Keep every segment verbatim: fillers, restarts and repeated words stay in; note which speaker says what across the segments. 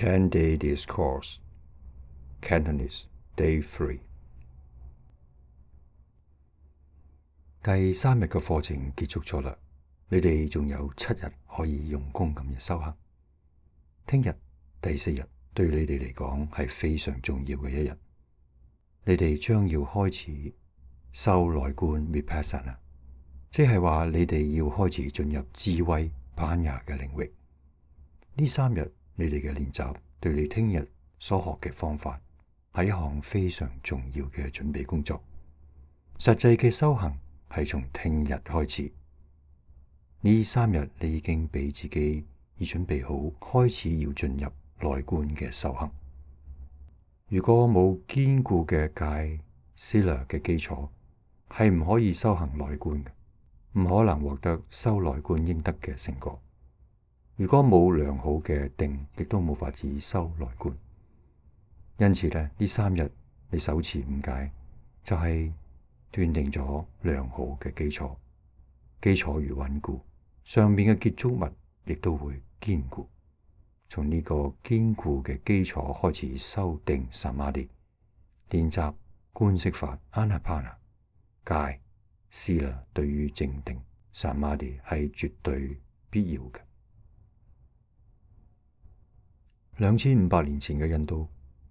Speaker 1: ten day Discourse Cantonese Day three 第三日嘅課程結束咗啦，你哋仲有七日可以用功咁樣修行。聽日第四日對你哋嚟講係非常重要嘅一日，你哋將要開始修內觀 Vipassana， 即係話你哋要開始進入智慧班牙嘅領域。呢三日你哋嘅練習對你聽日所學嘅方法係一項非常重要嘅準備工作。實際嘅修行係從聽日開始。呢三日你已經俾自己已準備好開始要進入內觀嘅修行。如果冇堅固嘅戒 Sila 嘅基礎，係唔可以修行內觀嘅，唔可能獲得修內觀應得嘅成果。如果冇良好嘅定，亦都冇法子修內觀。因此呢，呢三日你手持五戒，就係斷定咗良好嘅基礎。基礎越穩固，上面嘅建築物亦都會堅固。從呢個堅固嘅基礎開始修定 Samadhi， 練習觀息法 Anapana， 戒 Sila 對於靜定 Samadhi 係絕對必要嘅。兩千五百年前嘅印度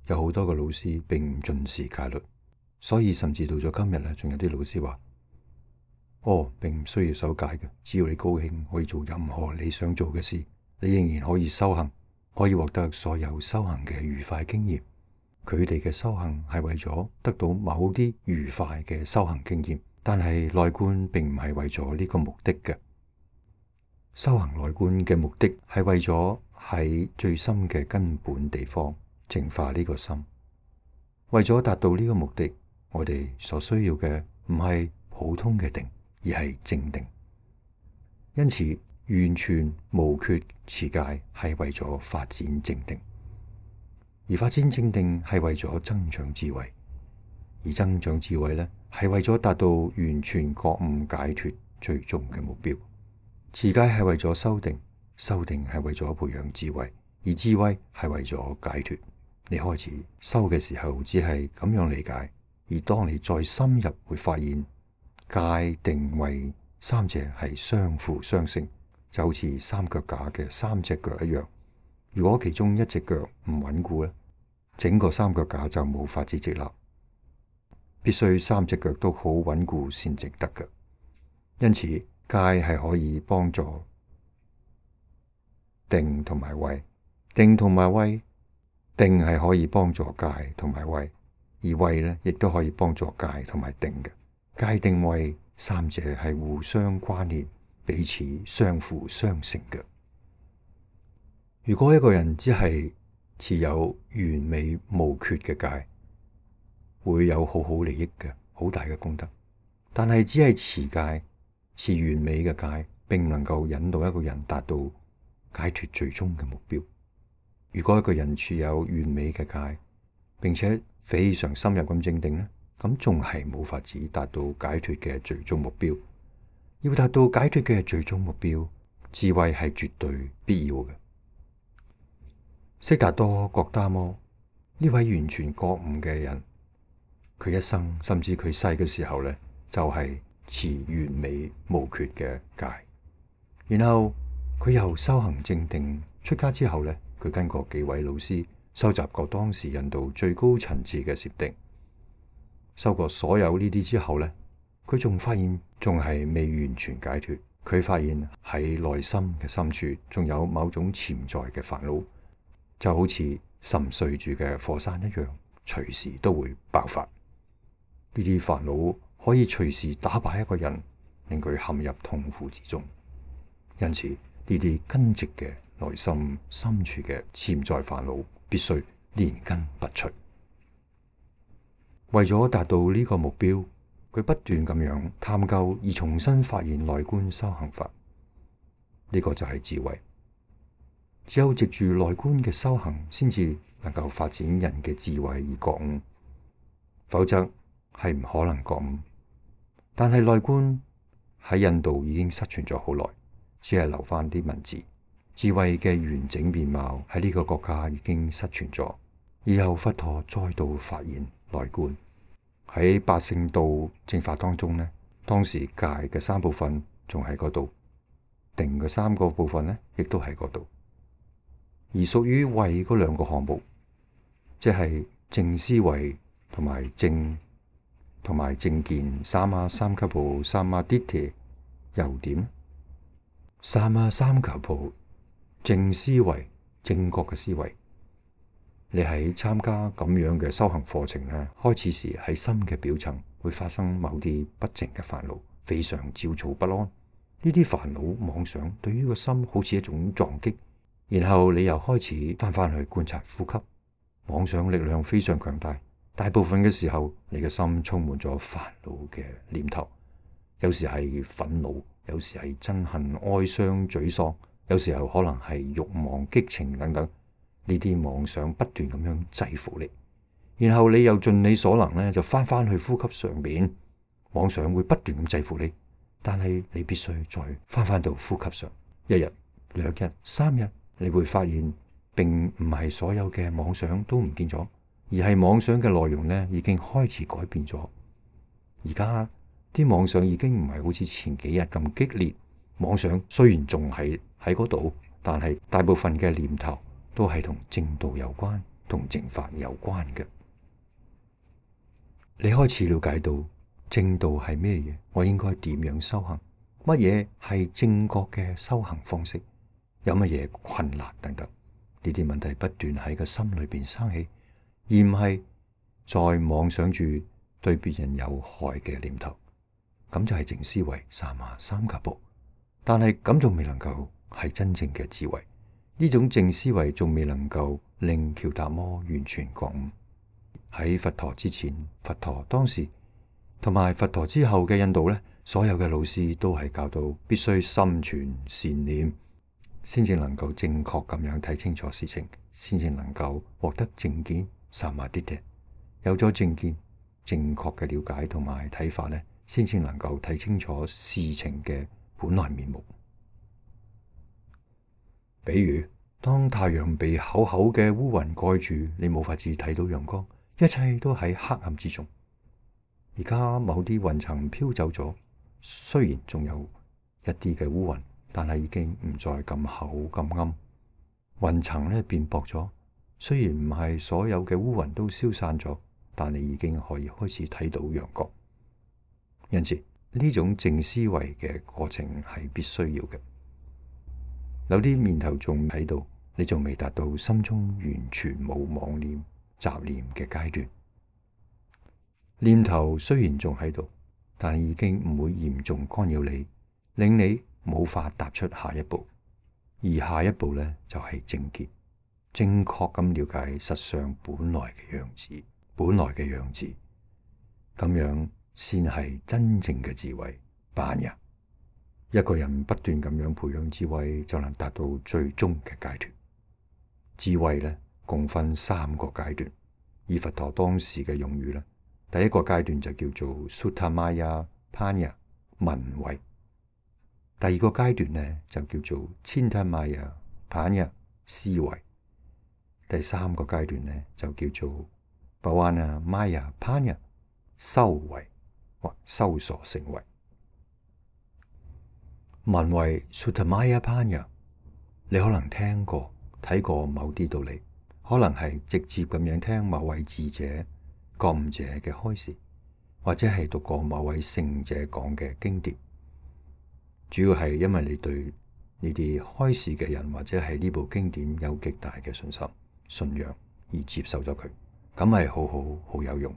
Speaker 1: 有好多個老師並唔重視戒律，所以甚至到咗今日咧，仲有啲老師話：哦，並唔需要守戒嘅，只要你高興，可以做任何你想做嘅事，你仍然可以修行，可以獲得所有修行嘅愉快經驗。佢哋嘅修行係為咗得到某啲愉快嘅修行經驗，但係內觀並唔係為咗呢個目的嘅。修行內觀嘅目的係為咗喺最深嘅根本地方淨化呢個心。為咗達到呢個目的，我哋所需要嘅唔係普通嘅定，而係正定。因此，完全無缺持戒係為咗發展正定，而發展正定係為咗增長智慧，而增長智慧呢，係為咗達到完全覺悟解脫最終嘅目標。持戒係為咗修定，修定係為咗培養智慧，而智慧係為咗解脫。你開始修嘅時候只係咁樣理解，而當你再深入會發現戒定慧三者係相輔相成，就好似三腳架嘅三隻腳一樣。如果其中一隻腳唔穩固咧，整個三腳架就冇法子直立。必須三隻腳都好穩固先值得嘅。因此戒係可以幫助定同埋慧，定同埋慧，定係可以幫助戒同埋慧，而慧呢亦都可以幫助戒同埋定嘅。戒定慧三者係互相關聯，彼此相輔相成嘅。如果一個人只係持有完美無缺嘅戒，會有好好利益嘅，好大嘅功德。但係只係持戒，持完美嘅戒，並唔能夠引導一個人達到解脫最終嘅目標。如果一個人持有完美嘅戒，並且非常深入咁正定呢，咁仲係冇法子達到解脫嘅最終目標。要達到解脫嘅最終目標，智慧係絕對必要嘅。悉達多覺達摩呢位完全覺悟嘅人，佢一生甚至佢細嘅時候呢，就係、是、持完美無缺嘅戒。然後佢又修行正定，出家之後呢，佢跟過幾位老師，收集過當時印度最高層次嘅禪定。修過所有呢啲之後呢，佢仲發現仲係未完全解脫。佢發現喺內心嘅深處仲有某種潛在嘅煩惱，就好似沉睡住嘅火山一樣，隨時都會爆發。呢啲煩惱可以隨時打敗一個人，令佢陷入痛苦之中。因此，呢啲根植嘅內心深處嘅潛在煩惱，必須連根拔除。為咗達到呢個目標，佢不斷咁樣探究而重新發現內觀修行法。呢個就係智慧。只有藉住內觀嘅修行，先至能夠發展人嘅智慧而覺悟，否則係唔可能覺悟。但係內觀喺印度已經失傳咗好耐，只係留翻啲文字。智慧嘅完整面貌喺呢個國家已經失傳咗。以後佛陀再度發現內觀，喺八聖道正法當中呢，當時戒嘅三部分仲喺嗰度，定嘅三個部分呢亦都喺嗰度。而屬於慧嗰兩個項目，即係正思維同埋正同埋正見，三嘛三卡布三嘛啲提又點？三嘛三卡布正思維，正確嘅思維。你喺參加咁樣嘅修行課程咧，開始時喺心嘅表層會發生某啲不淨嘅煩惱，非常焦躁不安。呢啲煩惱妄想對於個心好似一種撞擊，然後你又開始翻返去觀察呼吸。妄想力量非常強大，大部分嘅時候你嘅心充滿咗煩惱嘅念頭，有時係憤怒，有時係憎恨、哀傷、沮喪，有時候可能係慾望、激情等等。呢啲妄想不斷咁樣制服你，然後你又盡你所能咧，就翻返去呼吸上邊。妄想會不斷咁制服你，但係你必須再翻返到呼吸上。一日、兩日、三日，你會發現並唔係所有嘅妄想都唔見咗，而係妄想嘅內容咧已經開始改變咗。而家啲妄想已經唔係好似前幾日咁激烈。妄想雖然仲係喺嗰度，但係大部分嘅念頭都係同正道有關，同正法有關嘅。你開始了解到正道係咩嘢，我應該點樣修行，乜嘢係正確嘅修行方式，有乜嘢困難等等，呢啲問題不斷喺個心裏邊生起，而唔係再妄想住對別人有害嘅念頭。咁就係正思維三嘛三卡布，但係咁仲未能夠係真正嘅智慧。呢種正思維仲未能夠令喬達摩完全覺悟。喺佛陀之前、佛陀當時同埋佛陀之後嘅印度呢，所有嘅老師都係教導必須心存善念，先至能夠正確咁樣睇清楚事情，先至能夠獲得正見三嘛啲提。有咗正見、正確嘅了解同埋睇法呢，先至能夠睇清楚事情嘅本來面目。比如，當太陽被厚厚嘅烏雲蓋住，你冇法子睇到陽光，一切都喺黑暗之中。而家某啲雲層飄走咗，雖然仲有一啲嘅烏雲，但係已經唔再咁厚咁暗。雲層咧變薄咗，雖然唔係所有嘅烏雲都消散咗，但你已經可以開始睇到陽光。因此，呢種正思維嘅過程係必須要嘅。有啲念頭仲喺度，你仲未達到心中完全冇妄念、雜念嘅階段。念頭雖然仲喺度，但係已經唔會嚴重干擾你，令你冇法踏出下一步。而下一步呢，就係正見，正確咁了解實相本來嘅樣子，本來嘅樣子，咁樣先係真正嘅智慧。般若。一個人不斷咁樣培養智慧，就能達到最終嘅階段。智慧呢，共分三個階段。以佛陀當時嘅用語呢，第一個階段就叫做 Sutta-maya Panya 聞慧。第二個階段呢，就叫做 Cinta-maya Panya 思維。第三個階段呢，就叫做 Bhavana-maya Panya 修慧或修所成慧。聞慧 Sutta-maya Panya， 你可能聽過睇過某啲道理，可能係直接咁樣聽某位智者、覺悟者嘅開示，或者係讀過某位聖者講嘅經典。主要係因為你對呢啲開示嘅人或者係呢部經典有極大嘅信心、信仰而接受咗佢，咁係好好好有用。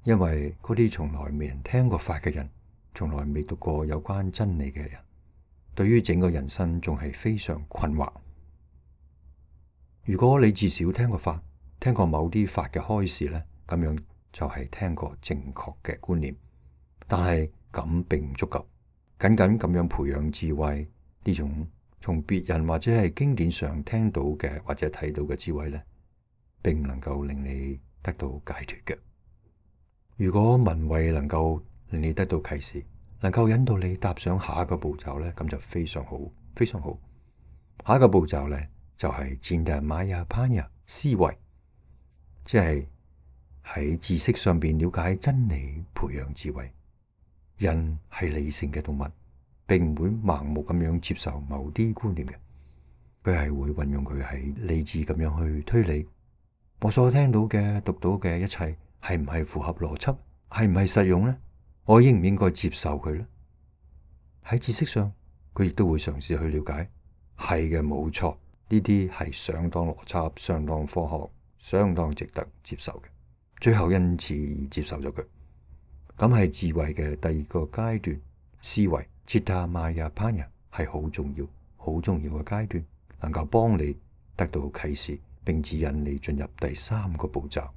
Speaker 1: 因為嗰啲從來未人聽過法嘅人，從來未讀過有關真理嘅人，對於整個人生仲係非常困惑。如果你至少聽過法，聽過某啲法嘅開示呢，咁樣就係聽過正確嘅觀念。但係咁並唔足夠，僅僅咁樣培養智慧，呢種從別人或者係經典上聽到嘅或者睇到嘅智慧呢，並唔能夠令你得到解脫嘅。如果聞慧能夠令你得到啟示，能夠引導你踏上下一個步驟呢，咁就非常好，非常好。下一個步驟呢，就係 Cinta Maya Panya 思維，即係喺知識上邊了解真理，培養智慧。人係理性嘅動物，並唔會盲目咁樣接受某啲觀念嘅，佢係會運用佢喺理智咁樣去推理。我所聽到嘅、讀到嘅一切係唔係符合邏輯，係唔係實用呢？我應唔應該接受佢呢？喺知識上，佢亦都會嘗試去了解，係嘅，冇錯，呢啲係相當邏輯、相當科學、相當值得接受嘅。最後因此而接受咗佢，咁係智慧嘅第二個階段。思維 Citta Maya Panya 係好重要、好重要嘅階段，能夠幫你得到啟示，並指引你進入第三個步驟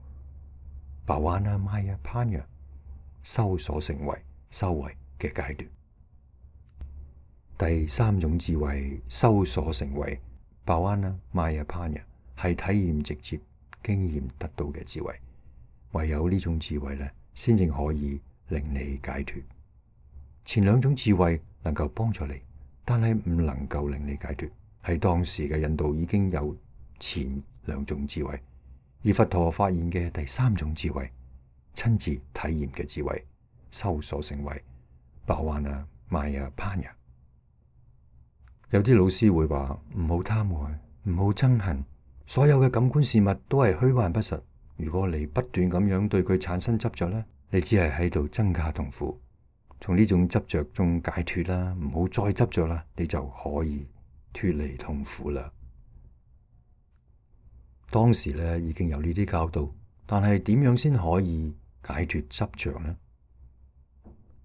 Speaker 1: Bhavana Maya Panya 修所成為修為嘅階段。第三種智慧修所成為 Bhavana Maya Panya 係體驗直接經驗得到嘅智慧，唯有呢種智慧呢，先至可以令你解脫。前兩種智慧能夠幫助你，但係唔能夠令你解脫。喺當時嘅印度已經有前兩種智慧，而佛陀發現嘅第三種智慧，親自體驗嘅智慧，修所成為 Bhavana Maya Panya。有啲老師會話唔好貪愛，唔好憎恨，所有嘅感官事物都係虛幻不實。如果你不斷咁樣對佢產生執着呢，你只係喺度增加痛苦。從呢種執着中解脫啦，唔好再執着啦，你就可以脫離痛苦啦。當時咧已經有呢啲教導，但係點樣先可以解脫執着呢？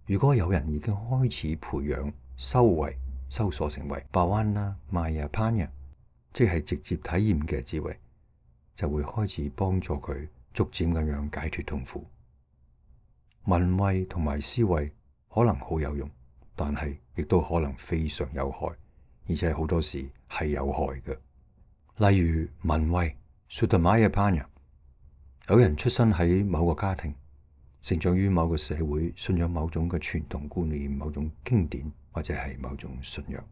Speaker 1: 如果有人已經開始培養修為，修所成為 Bhavana Maya Panya，即係直接體驗嘅智慧，就會開始幫助佢逐漸咁樣解脫痛苦。聞慧同埋思維可能好有用，但係亦都可能非常有害，而且好多時係有害嘅。例如聞慧 Suddha Maya Panya， 有人出生喺某個家庭，成長於某個社會，信仰某種嘅傳統觀念、某種經典或者係某種信仰。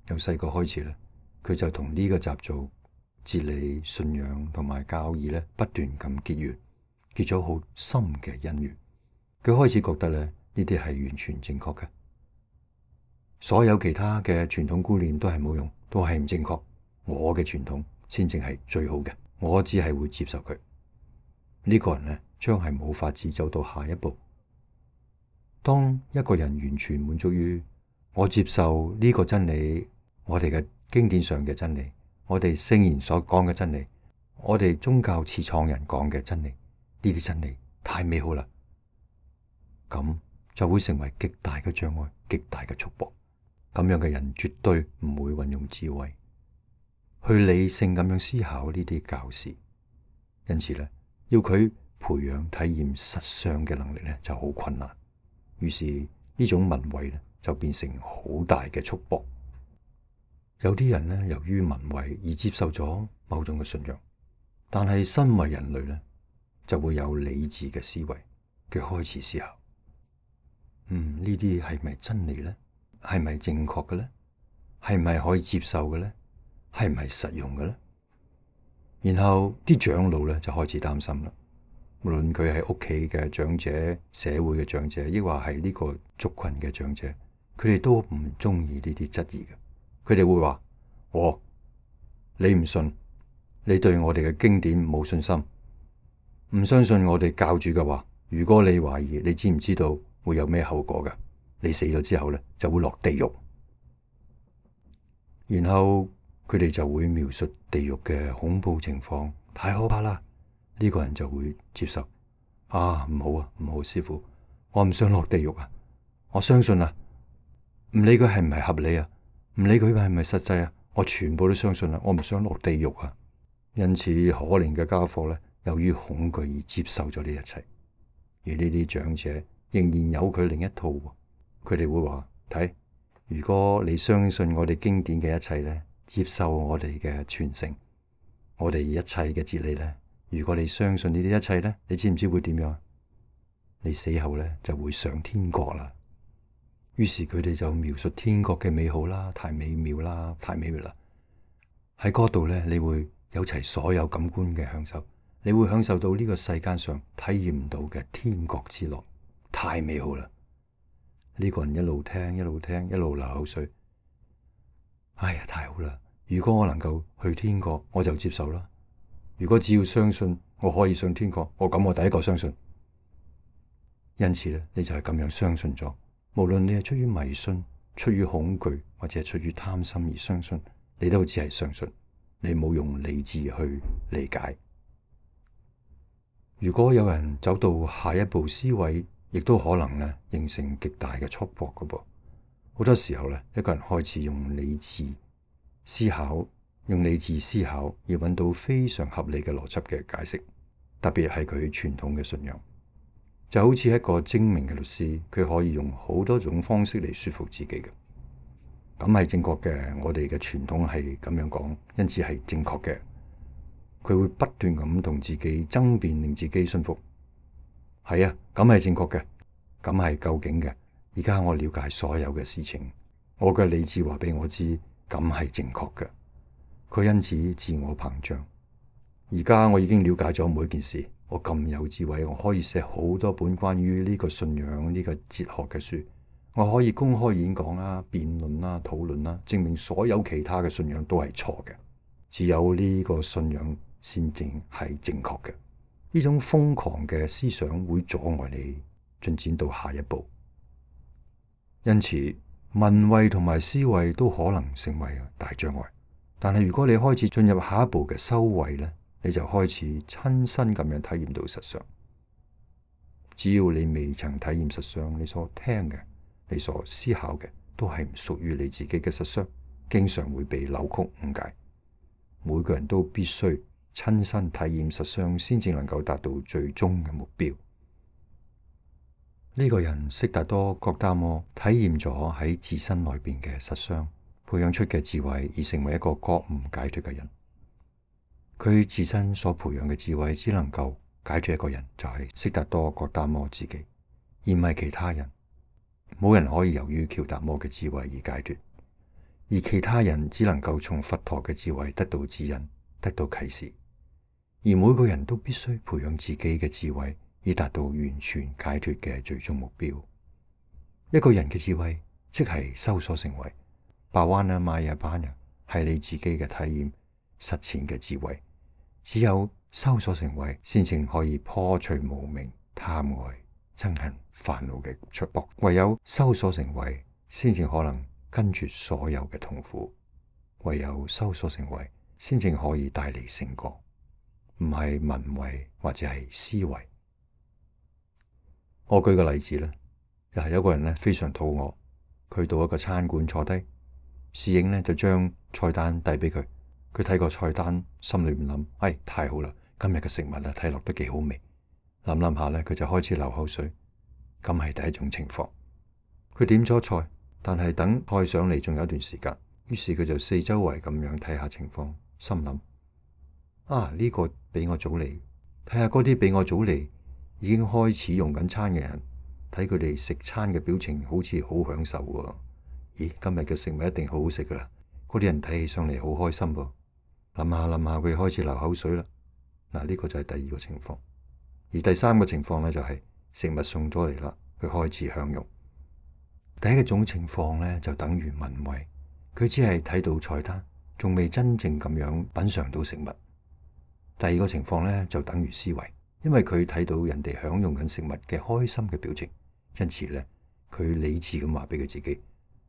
Speaker 1: 由細個開始咧，佢就同呢個習俗、哲理、信仰同埋教義咧不斷咁結緣，結咗好深嘅因緣。佢開始覺得咧，呢啲係完全正確嘅，所有其他嘅傳統觀念都係冇用，都係唔正確。我嘅傳統先正係最好嘅，我只係會接受佢。呢個人呢，將係冇法子走到下一步。當一個人完全滿足於我接受呢個真理，我哋嘅經典上嘅真理，我哋聖言所講嘅真理，我哋宗教始創人講嘅真理，呢啲真理太美好啦，咁就會成為極大嘅障礙，極大嘅束縛。咁樣嘅人絕對唔會運用智慧去理性咁樣思考呢啲教示，因此咧，要佢培養體驗實相嘅能力咧就好困難。於是呢種聞慧咧就變成好大嘅束縛。有啲人咧由於聞慧而接受咗某種嘅信仰，但係身為人類咧就會有理智嘅思維嘅開始思考。嗯，呢啲係咪真理咧？係咪正確嘅咧？係咪可以接受嘅咧？係唔係實用嘅咧？然後啲長老咧就開始擔心啦。無論佢係屋企嘅長者、社會嘅長者，抑或係呢個族群嘅長者，佢哋都唔中意呢啲質疑嘅。佢哋會話：哦，你唔信，你對我哋嘅經典冇信心，唔相信我哋教主嘅話。如果你懷疑，你知唔知道會有咩後果㗎？你死咗之後咧，就會落地獄。然後佢哋就會描述地獄嘅恐怖情況，太可怕啦！呢個人就會接受。啊，唔好啊，唔好，師父，我唔想落地獄啊！我相信啊，唔理佢係唔係合理啊，唔理佢係唔係實際啊，我全部都相信啊，我唔想落地獄啊！因此，可憐嘅家伙咧，由於恐懼而接受咗呢一切。而呢啲長者仍然有佢另一套，佢哋會話：睇，如果你相信我哋經典嘅一切咧，接受我哋嘅傳承，我哋一切嘅哲理咧，如果你相信呢啲一切咧，你知唔知會點樣？你死後咧就會上天國啦。於是佢哋就描述天國嘅美好啦，太美妙啦，太美妙啦。喺嗰度呢，你會有齊所有感官嘅享受，你會享受到呢個世間上體驗唔到嘅天國之樂，太美好啦！呢個人一路聽一路聽一路流口水，哎呀，太好啦！如果我能夠去天國，我就接受啦。如果只要相信我可以上天國，我咁我第一個相信。因此咧，你就係咁樣相信咗。無論你係出於迷信、出於恐懼或者係出於貪心而相信，你都只係相信，你冇用理智去理解。如果有人走到下一步思維，亦都可能咧形成極大嘅束縛噶噃。好多時候咧，一個人開始用理智思考，用理智思考而揾到非常合理嘅邏輯嘅解釋，特別係佢傳統嘅信仰，就好似一個精明嘅律師，佢可以用好多種方式嚟說服自己嘅，咁係正確嘅。我哋嘅傳統係咁樣講，因此係正確嘅。佢會不斷咁同自己爭辯，令自己信服。係啊，咁係正確嘅，咁係究竟嘅。而家我了解所有嘅事情，我嘅理智話俾我知，咁係正確嘅。佢因此自我膨脹。而家我已經了解咗每件事，我咁有智慧，我可以寫好多本關於呢個信仰、呢個哲學嘅書，我可以公開演講啦、辯論啦、討論啦，證明所有其他嘅信仰都係錯嘅，只有呢個信仰先正係正確嘅。呢種瘋狂嘅思想會阻礙你進展到下一步，因此聞慧同埋思慧都可能成為大障礙。但係如果你開始進入下一步嘅修慧呢，你就開始親身咁樣體驗到實相。只要你未曾體驗實相，你所聽嘅、你所思考嘅都係唔屬於你自己嘅實相，經常會被扭曲誤解。每個人都必須親身體驗實相，先至能夠達到最終嘅目標。呢個人悉達多覺達摩體驗咗喺自身內邊嘅實相，培養出嘅智慧，而成為一個覺悟解脫嘅人。佢自身所培養嘅智慧，只能夠解脫一個人，就係悉達多覺達摩自己，而唔係其他人。冇人可以由於喬達摩嘅智慧而解脫，而其他人只能夠從佛陀嘅智慧得到指引，得到啟示。而每個人都必須培養自己嘅智慧，以達到完全解脫嘅最終目標。一個人嘅智慧，即係修所成慧。巴灣啊、瑪雅班啊，係你自己嘅體驗實踐嘅智慧。只有修所成慧，先至可以破除無明、貪愛、憎恨、煩惱嘅束縛。唯有修所成慧，先至可能根絕所有嘅痛苦。唯有修所成慧，先至可以帶嚟成果，唔係聞慧或者係思慧。我舉個例子啦，又係有個人咧非常肚餓，佢到一個餐館坐低，侍應咧就將菜單遞俾佢。佢睇個菜單，心裏面諗：哎，太好啦！今日嘅食物啊，睇落都幾好味。諗諗下咧，佢就開始流口水。咁係第一種情況。佢點咗菜，但係等菜上嚟仲有一段時間，於是佢就四周圍咁樣睇下情況，心諗：啊，呢個比我早嚟，睇下嗰啲比我早嚟已經開始用緊餐嘅人，睇佢哋食餐嘅表情好似好享受喎。咦，今日嘅食物一定好好食噶啦！嗰啲人睇起上嚟好開心噃。諗下諗下，佢開始流口水啦。嗱，呢個就係第二個情況。而第三個情況咧，就係食物送咗嚟啦，佢開始享用。第一種情況咧，就等於聞慧，佢只係睇到菜單，仲未真正咁樣品嘗到食物。第二個情況咧，就等於思慧，因為佢睇到人哋享用緊食物嘅開心嘅表情，因此咧，佢理智咁話俾佢自己，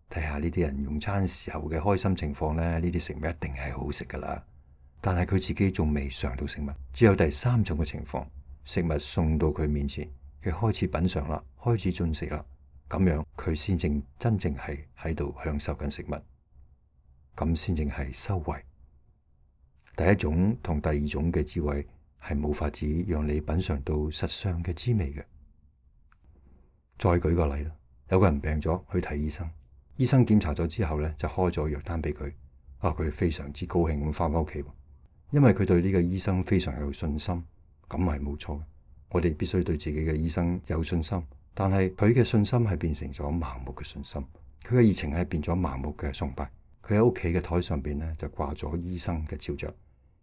Speaker 1: 睇下呢啲人用餐時候嘅開心情況咧，呢啲食物一定係好食噶啦。但係佢自己仲未嘗到食物。只有第三種嘅情況，食物送到佢面前，佢開始品嘗啦，開始進食啦，咁樣佢先正真正係喺度享受緊食物，咁先正係修慧。第一種同第二種嘅智慧係冇法子讓你品嘗到實相嘅滋味嘅。再舉個例啦，有個人病咗去睇醫生，醫生檢查咗之後咧，就開咗藥單俾佢。啊，佢非常之高興咁翻返屋企。因為佢對呢個醫生非常有信心，咁係冇錯嘅。我哋必須對自己嘅醫生有信心，但係佢嘅信心係變成咗盲目嘅信心，佢嘅熱情係變咗盲目嘅崇拜，佢喺屋企嘅台上邊咧就掛咗醫生嘅肖像，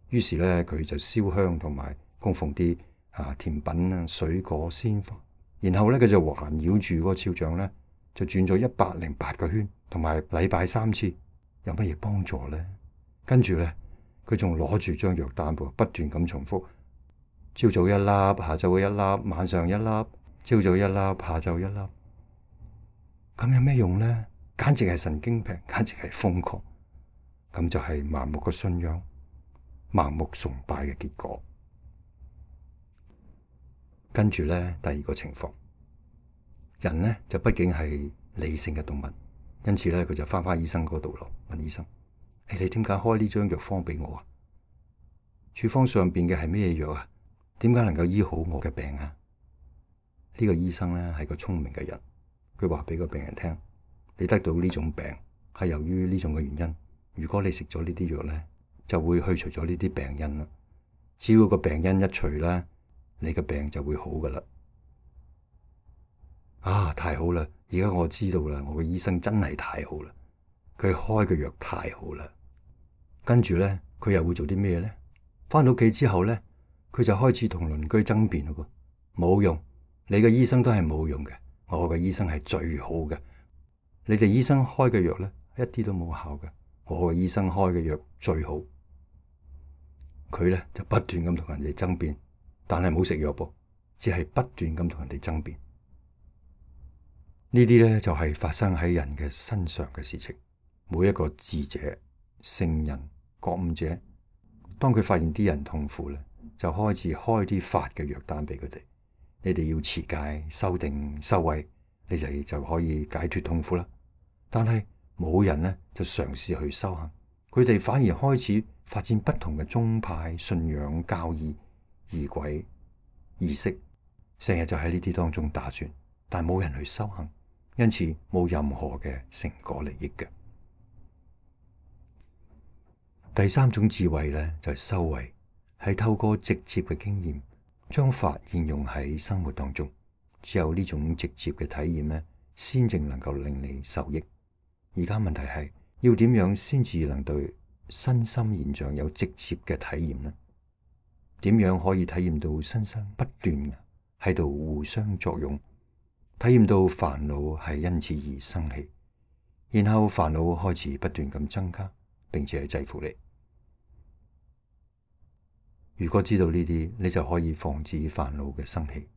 Speaker 1: 於是咧佢就燒香同埋供奉啲啊甜品啊、水果、鮮花，然後咧佢就環繞住嗰個肖像咧就轉咗一百零八個圈，同埋禮拜三次，有乜嘢幫助咧？跟住咧佢仲攞住張藥單噃，不斷咁重複，朝早一粒，下晝一粒，晚上一粒，朝早一粒，下晝一粒，咁有咩用咧？簡直係神經病，簡直係瘋狂，咁就係盲目嘅信仰、盲目崇拜嘅結果。跟住咧，第二個情況，人咧就畢竟係理性嘅動物，因此咧佢就翻返醫生嗰度咯，問醫生：誒，你點解開呢張藥方俾我啊？處方上邊嘅係咩藥啊？點解能夠醫好我嘅病啊？呢個醫生咧係個聰明嘅人，佢話俾個病人聽：你得到呢種病係由於呢種嘅原因。如果你食咗呢啲藥咧，就會去除咗呢啲病因啦。只要個病因一除咧，你嘅病就會好噶啦。啊，太好啦！而家我知道啦，我嘅醫生真係太好啦，佢開嘅藥太好啦。跟住咧，佢又會做啲咩咧？翻到屋企之後咧，佢就開始同鄰居爭辯咯噃，冇用，你嘅醫生都係冇用嘅，我嘅醫生係最好嘅。你哋醫生開嘅藥咧，一啲都冇效嘅，我嘅醫生開嘅藥最好。佢咧就不斷咁同人哋爭辯，但係冇食藥噃，只係不斷咁同人哋爭辯。呢啲咧就係發生喺人嘅身上嘅事情。每一個智者、聖人、覺悟者，當佢發現啲人痛苦咧，就開始開啲法嘅藥單俾佢哋。你哋要持戒、修定、修慧，你哋就可以解脫痛苦啦。但係冇人咧就嘗試去修行，佢哋反而開始發展不同嘅宗派、信仰、教義、儀軌、儀式，成日就喺呢啲當中打轉，但冇人去修行，因此冇任何嘅成果利益嘅。第三種智慧咧就係修慧，係透過直接嘅經驗，將法應用喺生活當中。只有呢種直接嘅體驗咧，先正能夠令你受益。而家問題係要點樣先至能對身心現象有直接嘅體驗呢？點樣可以體驗到身心不斷喺度互相作用，體驗到煩惱係因此而生起，然後煩惱開始不斷咁增加，並且制服你。如果知道呢啲，你就可以防止煩惱嘅生起。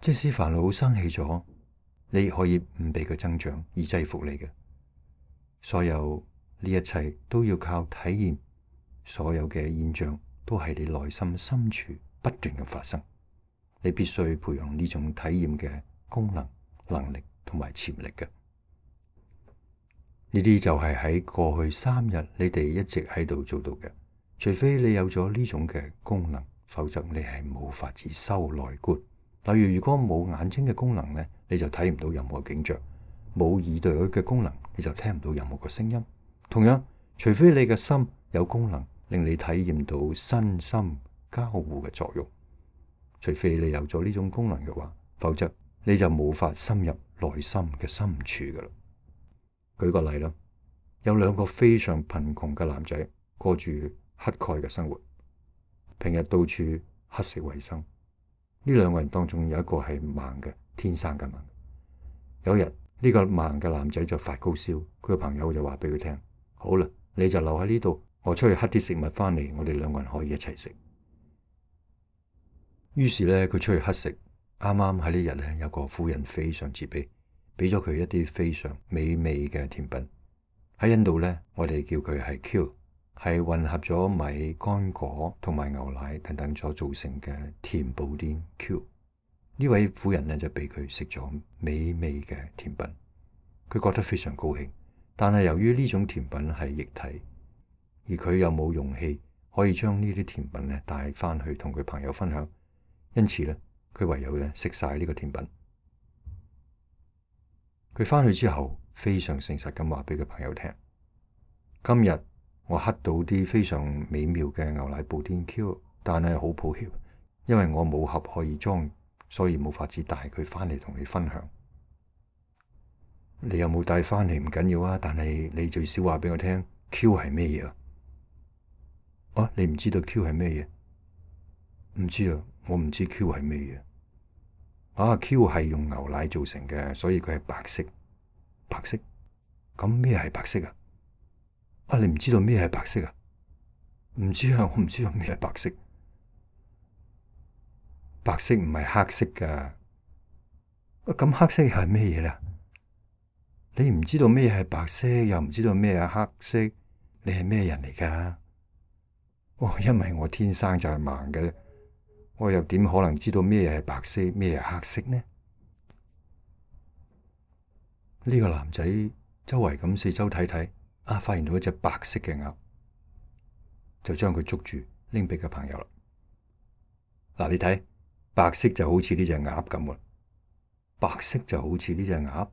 Speaker 1: 即使煩惱生起咗，你可以唔俾佢增長而制服你嘅。所有呢一切都要靠體驗，所有嘅現象都係你內心深處不斷嘅發生。你必須培養呢種體驗嘅功能、能力同埋潛力嘅。呢啲就係喺過去三日你哋一直喺度做到嘅。除非你有咗呢種嘅功能，否則你係冇法子修內觀。例如，如果冇眼睛嘅功能咧，你就睇唔到任何景象；冇耳朵嘅功能，你就聽唔到任何嘅聲音。同樣，除非你嘅心有功能，令你體驗到身心交互嘅作用；除非你有咗呢種功能嘅話，否則你就無法深入內心嘅深處噶啦。舉個例啦，有兩個非常貧窮嘅男仔過住乞丐嘅生活，平日到處乞食為生。呢兩個人當中有一個係盲嘅，天生嘅盲。有一日呢個盲嘅男仔就發高燒，佢個朋友就話俾佢聽：好啦，你就留喺呢度，我出去乞啲食物翻嚟，我哋兩個人可以一齊食。於是咧，佢出去乞食。啱啱喺呢日咧，有個婦人非常慈悲，俾咗佢一啲非常美味嘅甜品。喺印度咧，我哋叫佢係 Kheer，係混合咗米、乾果同埋牛奶等等所造成嘅甜布甸 Kheer。呢位婦人呢，就俾佢食咗美味嘅甜品，佢覺得非常高興。但係由於呢種甜品係液體，而佢又冇容器可以將呢啲甜品咧帶翻去同佢朋友分享，因此咧佢唯有咧食晒呢個甜品。佢翻去之後非常誠實咁話俾佢朋友聽：今日我乞到啲非常美妙嘅牛奶布甸 Kheer，但係好抱歉，因為我冇盒可以裝，所以冇法子帶佢翻嚟同你分享。你有冇帶翻嚟唔緊要啊，但係你最少話俾我聽 Q 係咩嘢啊？啊，你唔知道 Q 係咩嘢？唔知啊，我唔知 Q 係咩嘢。啊 ，Q 係用牛奶做成嘅，所以佢係白色。白色？咁咩係白色啊？啊，你唔知道咩係白色啊？唔知啊，我唔知道咩係白色。白色唔係黑色噶。咁黑色係咩嘢咧？你唔知道咩係白色，又唔知道咩係黑色，你係咩人嚟噶？哦，因為我天生就係盲嘅，我又點可能知道咩係白色，咩係黑色呢？呢個男仔周圍咁四周睇睇，啊，發現到一隻白色嘅鴨，就將佢捉住，拎俾佢朋友啦。嗱，你睇，白色就好似呢隻鴨咁喎。白色就好似呢隻鴨，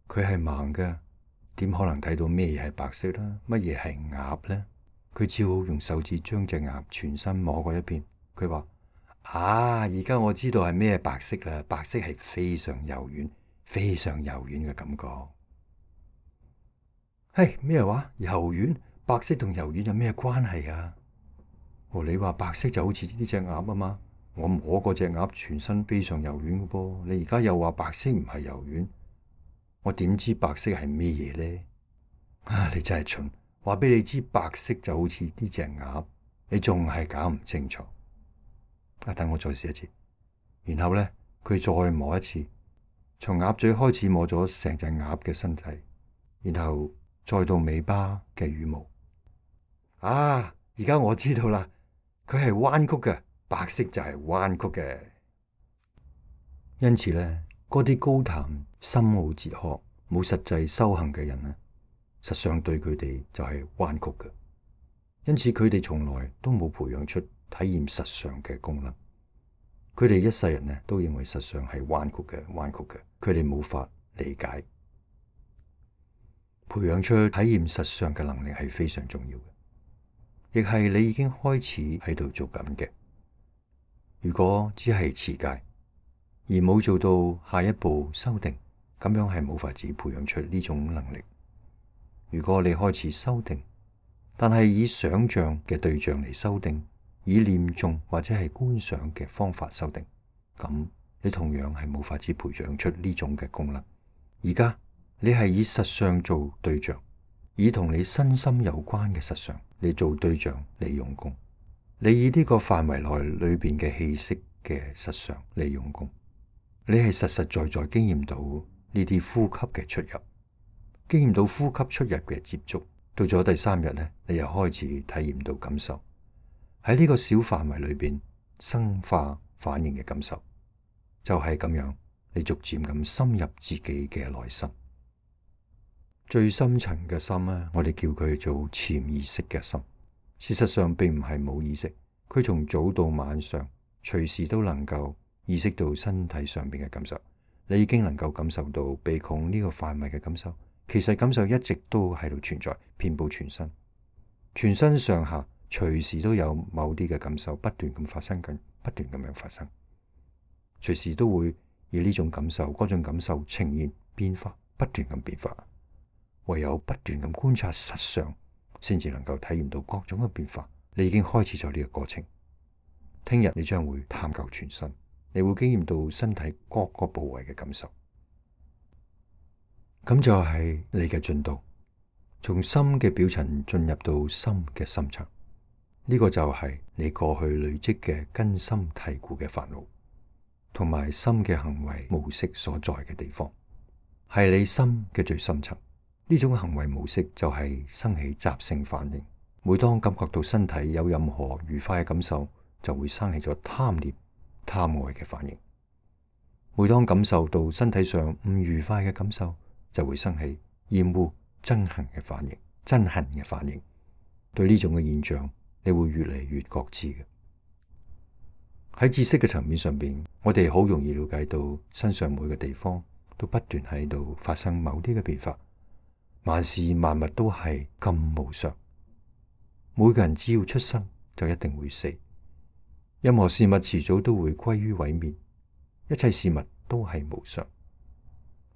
Speaker 1: 佢係盲嘅，點可能睇到咩嘢係白色啦？乜嘢係鴨呢？佢只好用手指將隻鴨全身摸過一遍。佢話：啊，而家我知道係咩白色啦！白色係非常柔軟、非常柔軟嘅感覺。嘿，咩話？柔軟？白色同柔軟有咩關係啊？哦，你話白色就好似呢隻鴨啊嘛？我摸過隻鴨全身非常柔軟嘅噃，你而家又話白色唔係柔軟，我點知白色係咩嘢呢？啊，你真係蠢！話俾你知白色就好似呢隻鴨，你仲係搞唔清楚。啊，等我再試一次，然後呢，佢再摸一次，從鴨嘴開始摸咗成隻鴨嘅身體，然後再到尾巴嘅羽毛。啊，而家我知道啦，佢係彎曲嘅。白色就係彎曲嘅，因此咧，嗰啲高談深奧哲學、冇實際修行嘅人咧，實上對佢哋就係彎曲嘅。因此佢哋從來都冇培養出體驗實相嘅功能。佢哋一世人咧都認為實相係彎曲嘅、彎曲嘅，佢哋冇法理解。培養出體驗實相嘅能力係非常重要嘅，亦係你已經開始喺度做緊嘅。如果只係持戒，而冇做到下一步修定，咁樣係冇法子培養出呢種能力。如果你開始修定，但係以想象嘅對象嚟修定，以念誦或者係觀想嘅方法修定，咁你同樣係冇法子培養出呢種嘅功能。而家你係以實相做對象，以同你身心有關嘅實相嚟做對象嚟用功。你以呢個範圍內裏邊嘅氣息嘅實相嚟用功，你係實實在在經驗到呢啲呼吸嘅出入，經驗到呼吸出入嘅接觸。到咗第三日呢，你又開始體驗到感受，喺呢個小範圍裏邊生化反應嘅感受，就係咁樣，你逐漸咁深入自己嘅內心，最深層嘅心呢，我哋叫佢做潛意識嘅心。事實上並唔係冇意識，佢從早到晚上隨時都能夠意識到身體上邊嘅感受。你已經能夠感受到鼻孔呢個範圍嘅感受，其實感受一直都喺度存在，遍佈全身，全身上下隨時都有某啲嘅感受不斷咁發生緊，不斷咁樣發生，隨時都會以呢種感受、嗰種感受呈現變化，不斷咁變化。唯有不斷咁觀察實相，先至能夠體驗到各種嘅變化。你已經開始咗呢個過程。聽日你將會探究全身，你會經驗到身體各個部位嘅感受。咁就係你嘅進度，從心嘅表層進入到心嘅深層。呢個就係你過去累積嘅根深蒂固嘅煩惱，同埋心嘅行為模式所在嘅地方，係你心嘅最深層。呢種行為模式就係生起習性反應。每當感覺到身體有任何愉快嘅感受，就會生起咗貪念、貪愛嘅反應。每當感受到身體上唔愉快嘅感受，就會生起厭惡、憎恨嘅反應、憎恨嘅反應。對呢種嘅現象，你會越嚟越覺知嘅。喺知識嘅層面上邊，我哋好容易了解到身上每個地方都不斷喺度發生某啲嘅變化。萬事萬物都係咁無常，每個人只要出生就一定會死，任何事物遲早都會歸於毀滅，一切事物都係無常。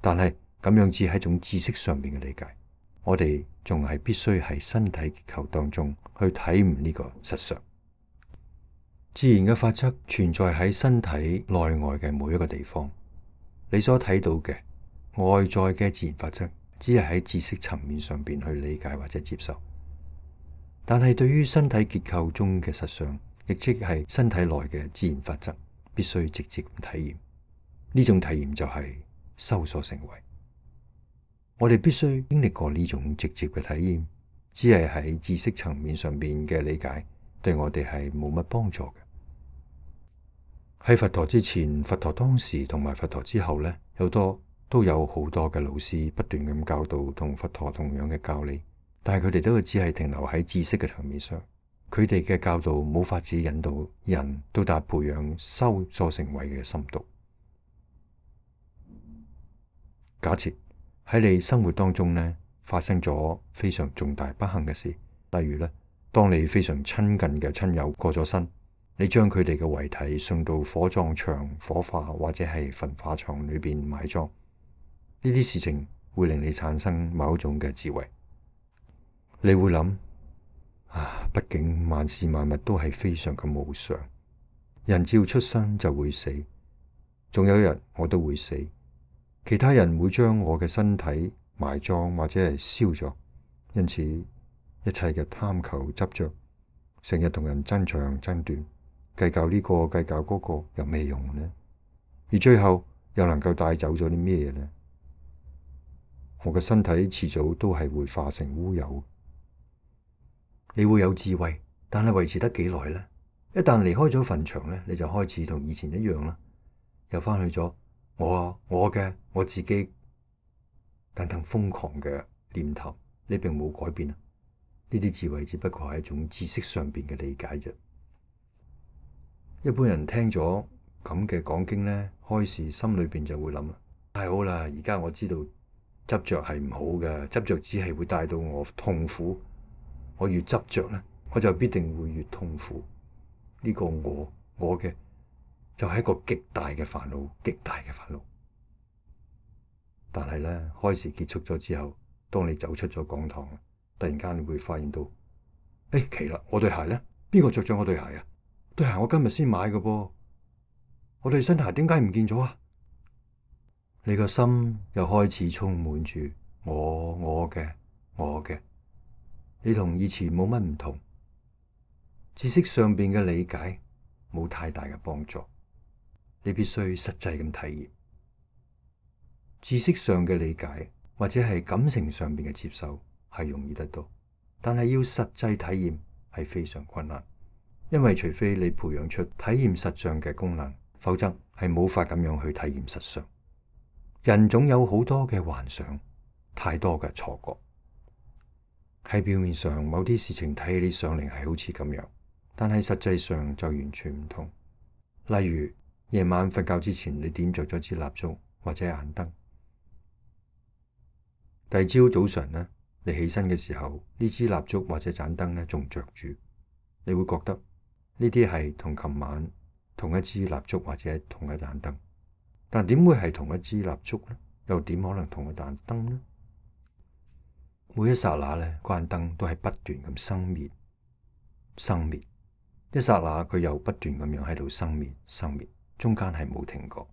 Speaker 1: 但係咁樣只係一種知識上面嘅理解。我哋仲係必須喺身體結構當中去體悟呢個實相。自然嘅法則存在喺身體內外嘅每一個地方。你所睇到嘅外在嘅自然法則，只係喺知識層面上邊去理解或者接受。但係對於身體結構中嘅實相，亦即係身體內嘅自然法則，必須直接體驗。呢種體驗就係修所成為。我哋必須經歷過呢種直接嘅體驗，只係喺知識層面上邊嘅理解，對我哋係冇乜幫助嘅。喺佛陀之前、佛陀當時同埋佛陀之後呢，有多都有好多嘅老師不斷咁教導同佛陀同樣嘅教理，但係佢哋都只係停留喺知識嘅層面上，佢哋嘅教導冇法子引導人到達培養修所成為嘅深度。假設喺你生活當中呢，發生咗非常重大不幸嘅事，例如呢，當你非常親近嘅親友過咗身，你將佢哋嘅遺體送到火葬場火化或者係焚化廠裏邊埋葬，呢啲事情會令你產生某一種嘅智慧。你會諗啊，畢竟萬事萬物都係非常嘅無常，人只要出生就會死，仲有一日我都會死，其他人會將我嘅身體埋葬或者係燒咗，因此一切嘅貪求執着，成日同人爭長爭短，計較呢個計較嗰個有咩用呢？而最後又能夠帶走咗啲咩呢？我嘅身體遲早都係會化成烏有。你會有智慧，但係維持得幾耐呢？一旦離開咗墳場呢，你就開始同以前一樣啦，又翻去咗我啊我嘅我自己等等瘋狂嘅念頭，你並冇改變啊！呢啲智慧只不過係一種知識上邊嘅理解啫。一般人聽咗咁嘅講經呢，開始心裏邊就會諗啦，太好啦！而家我知道執着係唔好嘅，執着只係會帶到我痛苦。我越執着呢，我就必定會越痛苦。呢個我我嘅就係一個極大嘅煩惱，極大嘅煩惱。但係呢，開示結束咗之後，當你走出咗講堂，突然間你會發現到，誒，奇啦！我對鞋呢？邊個着咗我對鞋啊？對鞋我今日先買嘅噃，我對新鞋點解唔見咗啊？你個心又開始充滿住我我嘅我嘅，你同以前冇乜唔同，知識上邊嘅理解冇太大嘅幫助，你必須實際咁體驗。知識上嘅理解或者係感情上邊嘅接受係容易得到，但係要實際體驗係非常困難。因為除非你培養出體驗實相嘅功能，否則係冇法咁樣去體驗實相。人總有好多嘅幻想，太多嘅錯覺。喺表面上，某啲事情睇起上嚟係好似咁樣，但係實際上就完全唔同。例如夜晚瞓覺之前，你點着咗支蠟燭或者眼燈，第二朝早上呢，你起身嘅時候，呢支蠟燭或者盞燈呢仲着住，你會覺得呢啲係同琴晚同一支蠟燭或者同一盞燈，但點會係同一支蠟燭呢？又點可能同一盞燈呢？每一剎那呢，關燈都係不斷咁生滅、生滅，一剎那佢又不斷咁樣喺度生滅、生滅，中間係冇停過，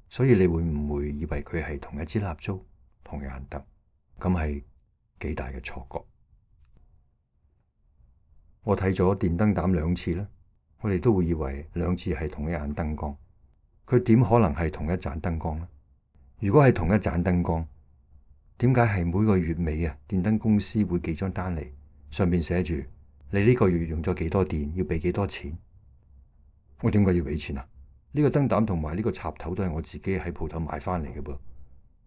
Speaker 1: 所以你會唔會以為佢係同一支蠟燭、同一盞燈？咁係幾大嘅錯覺。我睇咗電燈膽兩次咧，我哋都會以為兩次係同一盞燈光，佢點可能係同一盞燈光呢？如果係同一盞燈光，點解係每個月尾啊，電燈公司會寄張單嚟，上面寫住你呢個月用咗幾多電，要俾幾多錢？我點解要俾錢啊？呢個燈膽同埋呢個插頭都係我自己喺鋪頭買翻嚟嘅噃，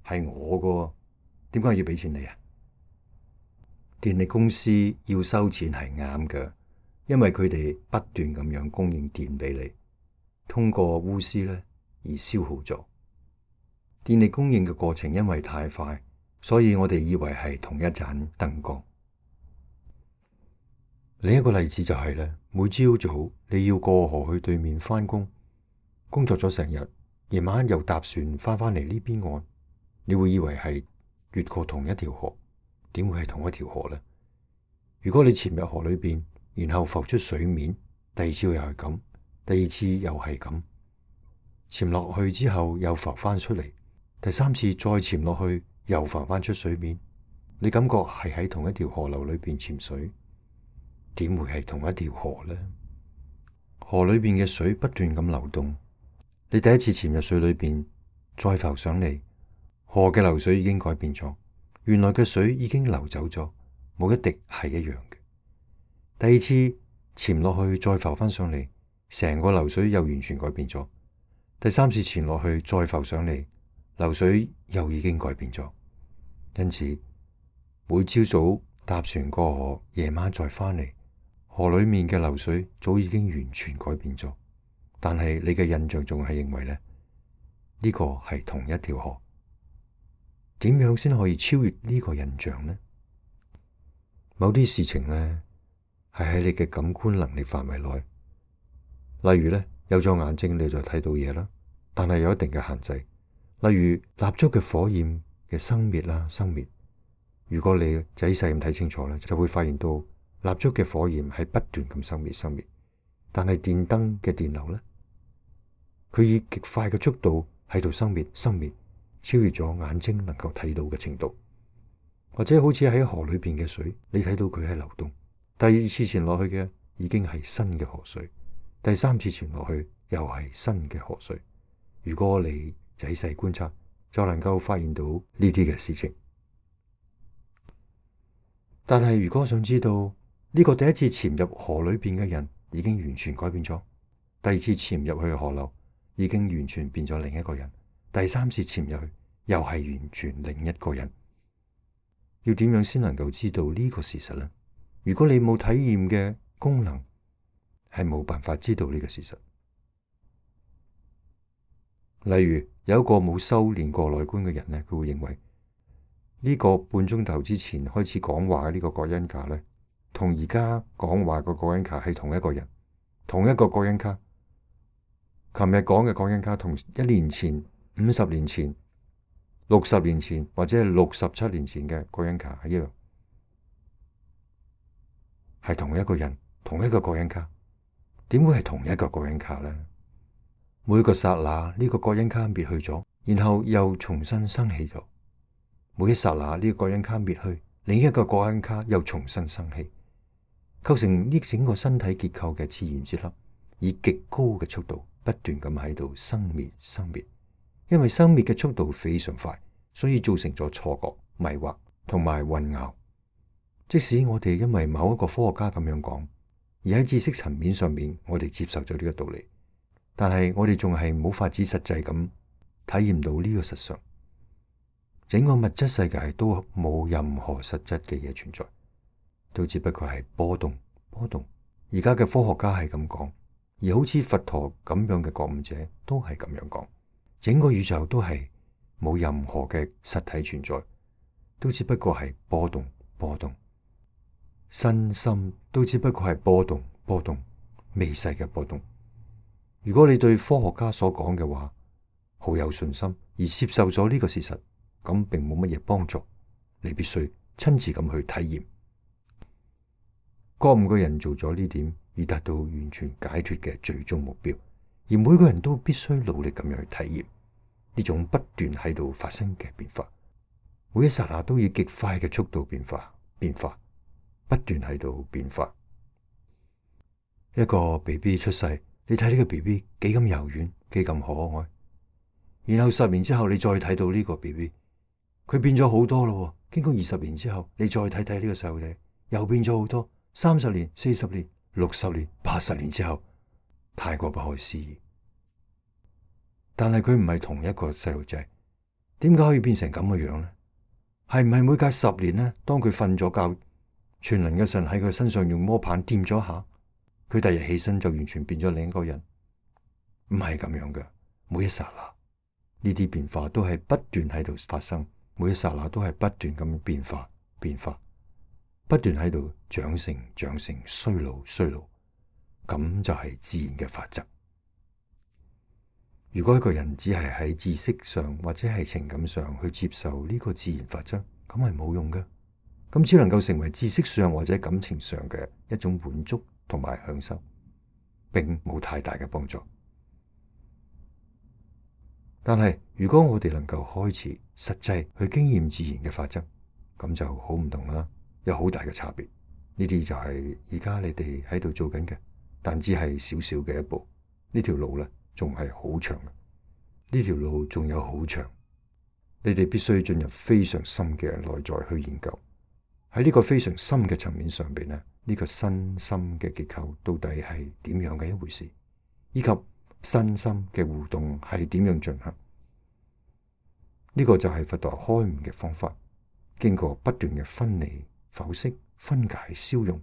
Speaker 1: 係我個，點解要俾錢你啊？電力公司要收錢係啱嘅，因為佢哋不斷咁樣供應電俾你，通過鎢絲咧而消耗咗。電力供應嘅過程因為太快，所以我哋以為係同一盞燈光。另一個例子就係咧，每朝早你要過河去對面翻工，工作咗成日，夜晚又搭船翻返嚟呢邊岸，你會以為係越過同一條河，點會係同一條河呢？如果你潛入河裏邊，然後浮出水面，第二次又係咁，第二次又係咁，潛落去之後又浮翻出嚟，第三次再潛落去又浮翻出水面，你感覺係喺同一條河流裏邊潛水，點會係同一條河呢？河裏邊嘅水不斷咁流動，你第一次潛入水裏邊，再浮上嚟，河嘅流水已經改變咗，原來嘅水已經流走咗，冇一滴係一樣嘅。第二次潛落去，再浮翻上嚟，成個流水又完全改變咗。第三次潛落去，再浮上嚟，流水又已經改變咗。因此，每朝早搭船過河，夜晚再翻嚟，河裏面嘅流水早已經完全改變咗。但係你嘅印象仲係認為呢，呢個係同一條河。點樣先可以超越呢個印象呢？某啲事情呢，係喺你嘅感官能力範圍內。例如呢，有咗眼睛你就睇到嘢啦，但係有一定嘅限制。例如蠟燭嘅火焰嘅生滅啦、生滅。如果你仔細咁睇清楚咧，就會發現到蠟燭嘅火焰係不斷咁生滅、生滅。但係電燈嘅電流呢，佢以極快嘅速度喺度生滅、生滅，超越咗眼睛能夠睇到嘅程度。或者好似喺河裏邊嘅水，你睇到佢係流動。第二次潛落去嘅已經係新嘅河水，第三次潛落去又係新嘅河水。如果你仔細觀察，就能夠發現到呢啲嘅事情。但係如果想知道呢個第一次潛入河裏邊嘅人已經完全改變咗，第二次潛入去河流已經完全變咗另一個人，第三次潛入去又係完全另一個人。要點樣先能夠知道呢個事實呢？如果你冇體驗嘅功能，係冇辦法知道呢個事實。例如有一個冇修煉過內觀嘅人呢，佢會認為呢個半鐘頭之前開始講話嘅呢個葛恩卡呢，同而家講話個葛恩卡係同一個人，同一個葛恩卡。琴日講嘅葛恩卡同一年前、五十年前、六十年前或者係六十七年前嘅葛恩卡係一樣，係同一個人，同一個葛恩卡。點會係同一個葛恩卡呢？每個剎那呢個葛恩卡滅去咗，然後又重新生起咗。每一剎那呢個葛恩卡滅去，另一個葛恩卡又重新生起，構成呢整個身體結構嘅自然結合，以極高嘅速度不斷咁喺度生滅生滅。因為生滅嘅速度非常快，所以造成咗錯覺、迷惑同埋混淆。即使我哋因為某一個科學家咁樣講，而喺知識層面上面我哋接受咗呢個道理，但係我哋仲係冇法子實際咁體驗到呢個實相。整個物質世界都冇任何實質嘅嘢存在，都只不過係波動波動。而家嘅科學家係咁講，而好似佛陀咁樣嘅覺悟者都係咁樣講。整個宇宙都係冇任何嘅實體存在，都只不過係波動波動。身心都只不過係波動波動，微細嘅波動。如果你對科學家所講嘅話好有信心，而接受咗呢個事實，咁並冇乜嘢幫助。你必須親自咁去體驗。覺悟嘅人做咗呢點，以達到完全解脫嘅最終目標。而每個人都必須努力咁樣去體驗呢種不斷喺度發生嘅變化，每一剎那都以極快嘅速度變化變化，不斷喺度變化。一個 B B 出世，你睇呢個 B B 幾咁柔軟，幾咁可愛。然後十年之後，你再睇到呢個 B B， 佢變咗好多咯。經過二十年之後，你再睇睇呢個細路仔，又變咗好多。三十年、四十年、六十年、八十年之後，太過不可思議。但係佢唔係同一個細路仔，點解可以變成咁嘅樣呢？係唔係每隔十年呢？當佢瞓咗覺，全能嘅神喺佢身上用魔棒掂咗下，佢第日起身就完全變咗另一個人？唔係咁樣嘅。每一剎那呢啲變化都係不斷喺度發生，每一剎那都係不斷咁變化變化，不斷喺度長成長成衰老衰老，咁就係自然嘅法則。如果一個人只係喺知識上或者係情感上去接受呢個自然法則，咁係冇用嘅，咁只能夠成為知識上或者感情上嘅一種滿足同埋享受，並冇太大嘅幫助。但係如果我哋能夠開始實際去經驗自然嘅法則，咁就好唔同啦，有好大嘅差別。呢啲就係而家你哋喺度做緊嘅，但只係少少嘅一步。呢條路咧仲係好長嘅，呢條路仲有好長。你哋必須進入非常深嘅內在去研究。喺呢個非常深嘅層面上邊咧，呢個身心嘅結構到底係點樣嘅一回事，以及身心嘅互動係點樣進行？呢個就係佛陀開悟嘅方法。經過不斷嘅分離、剖析、分解、消融，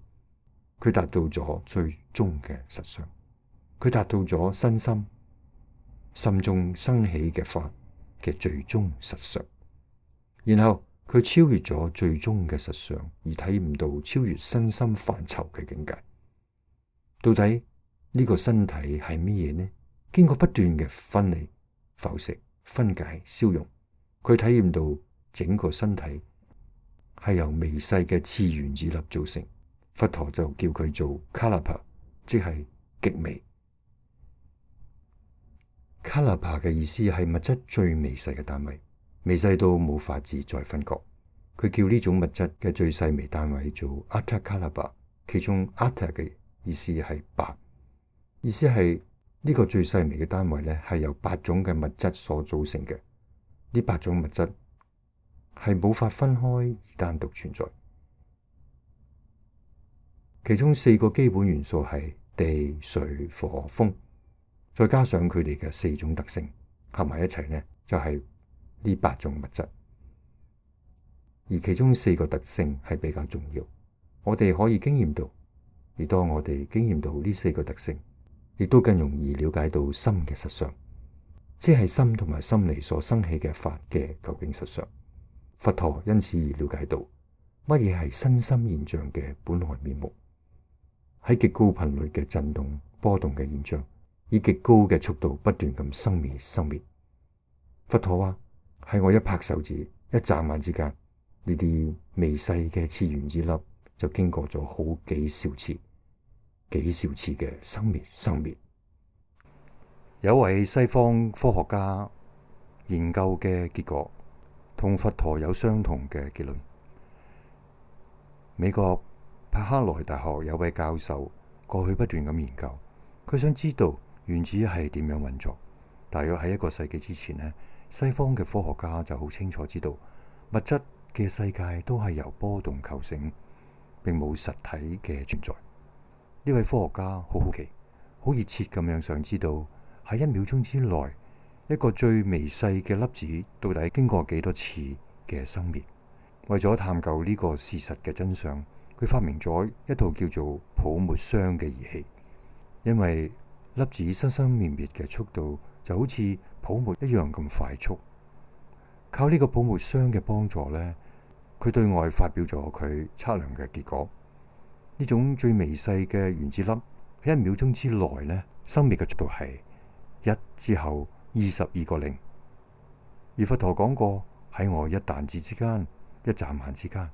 Speaker 1: 佢達到咗最終嘅實相。佢達到咗身心心中生起嘅法嘅最終實相。然後佢超越咗最終嘅實相，而體驗到超越身心範疇嘅境界。到底呢個身體係乜嘢呢？經過不斷嘅分離、剖析、分解、消融，佢體驗到整個身體係由微細嘅次原子粒造成。佛陀就叫佢做卡納帕，即係極微。卡納帕嘅意思係物質最微細嘅單位，微細到冇法子再分割。佢叫呢種物質嘅最細微單位做阿塔卡納帕，其中阿塔嘅意思係八，意思係呢個最細微嘅單位咧係由八種嘅物質所組成嘅。呢八種物質係冇法分開而單獨存在，其中四個基本元素係地、水、火、風，再加上佢哋嘅四種特性，合埋一齊呢，就係呢八種物質。而其中四個特性係比較重要，我哋可以經驗到。而當我哋經驗到呢四個特性，亦都更容易了解到心嘅實相，即係心同埋心理所生起嘅法嘅究竟實相。佛陀因此而了解到乜嘢係身心現象嘅本來面目，喺極高頻率嘅震動波動嘅現象，以極高嘅速度不斷咁生滅生滅。佛陀話喺我一拍手指、一眨眼之間，呢啲微細嘅次原子粒就經過咗好幾兆次、幾兆次嘅生滅生滅。有位西方科學家研究嘅結果同佛陀有相同嘅結論。美國柏克萊大學有位教授過去不斷咁研究，佢想知道原子係點樣運作。大約喺一個世紀之前呢，西方嘅科學家就好清楚知道物質嘅世界都係由波動構成，並冇實體嘅存在。呢位科學家好好奇、好熱切咁樣想知道喺一秒鐘之內，一個最微細嘅粒子到底經過幾多次嘅生滅。為咗探究呢個事實嘅真相，佢發明咗一套叫做泡沫箱嘅儀器。因為粒子生生滅滅嘅速度就好似泡沫一樣咁快速，靠呢個泡沫箱嘅幫助呢，佢對外發表咗佢測量嘅結果。呢種最微細嘅原子粒喺一秒鐘之內呢，生滅嘅速度係一之後二十二個零。而佛陀講過，喺我一彈指之間、一眨眼之間，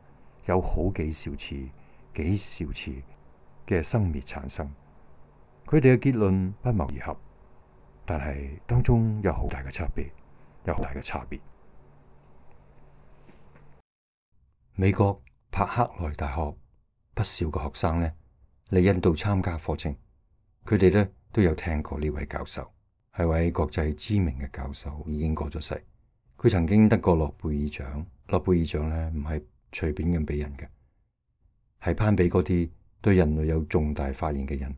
Speaker 1: 有好幾兆次、幾兆次嘅生滅產生。佢哋嘅結論不謀而合，但係當中有好大嘅差別，有好大嘅差別。美國柏克萊大學不少嘅學生呢嚟印度參加課程，佢哋呢都有聽過呢位教授，係位國際知名嘅教授，已經過咗世。佢曾經得過諾貝爾獎，諾貝爾獎呢唔係隨便咁俾人嘅，係頒俾嗰啲對人類有重大發現嘅人。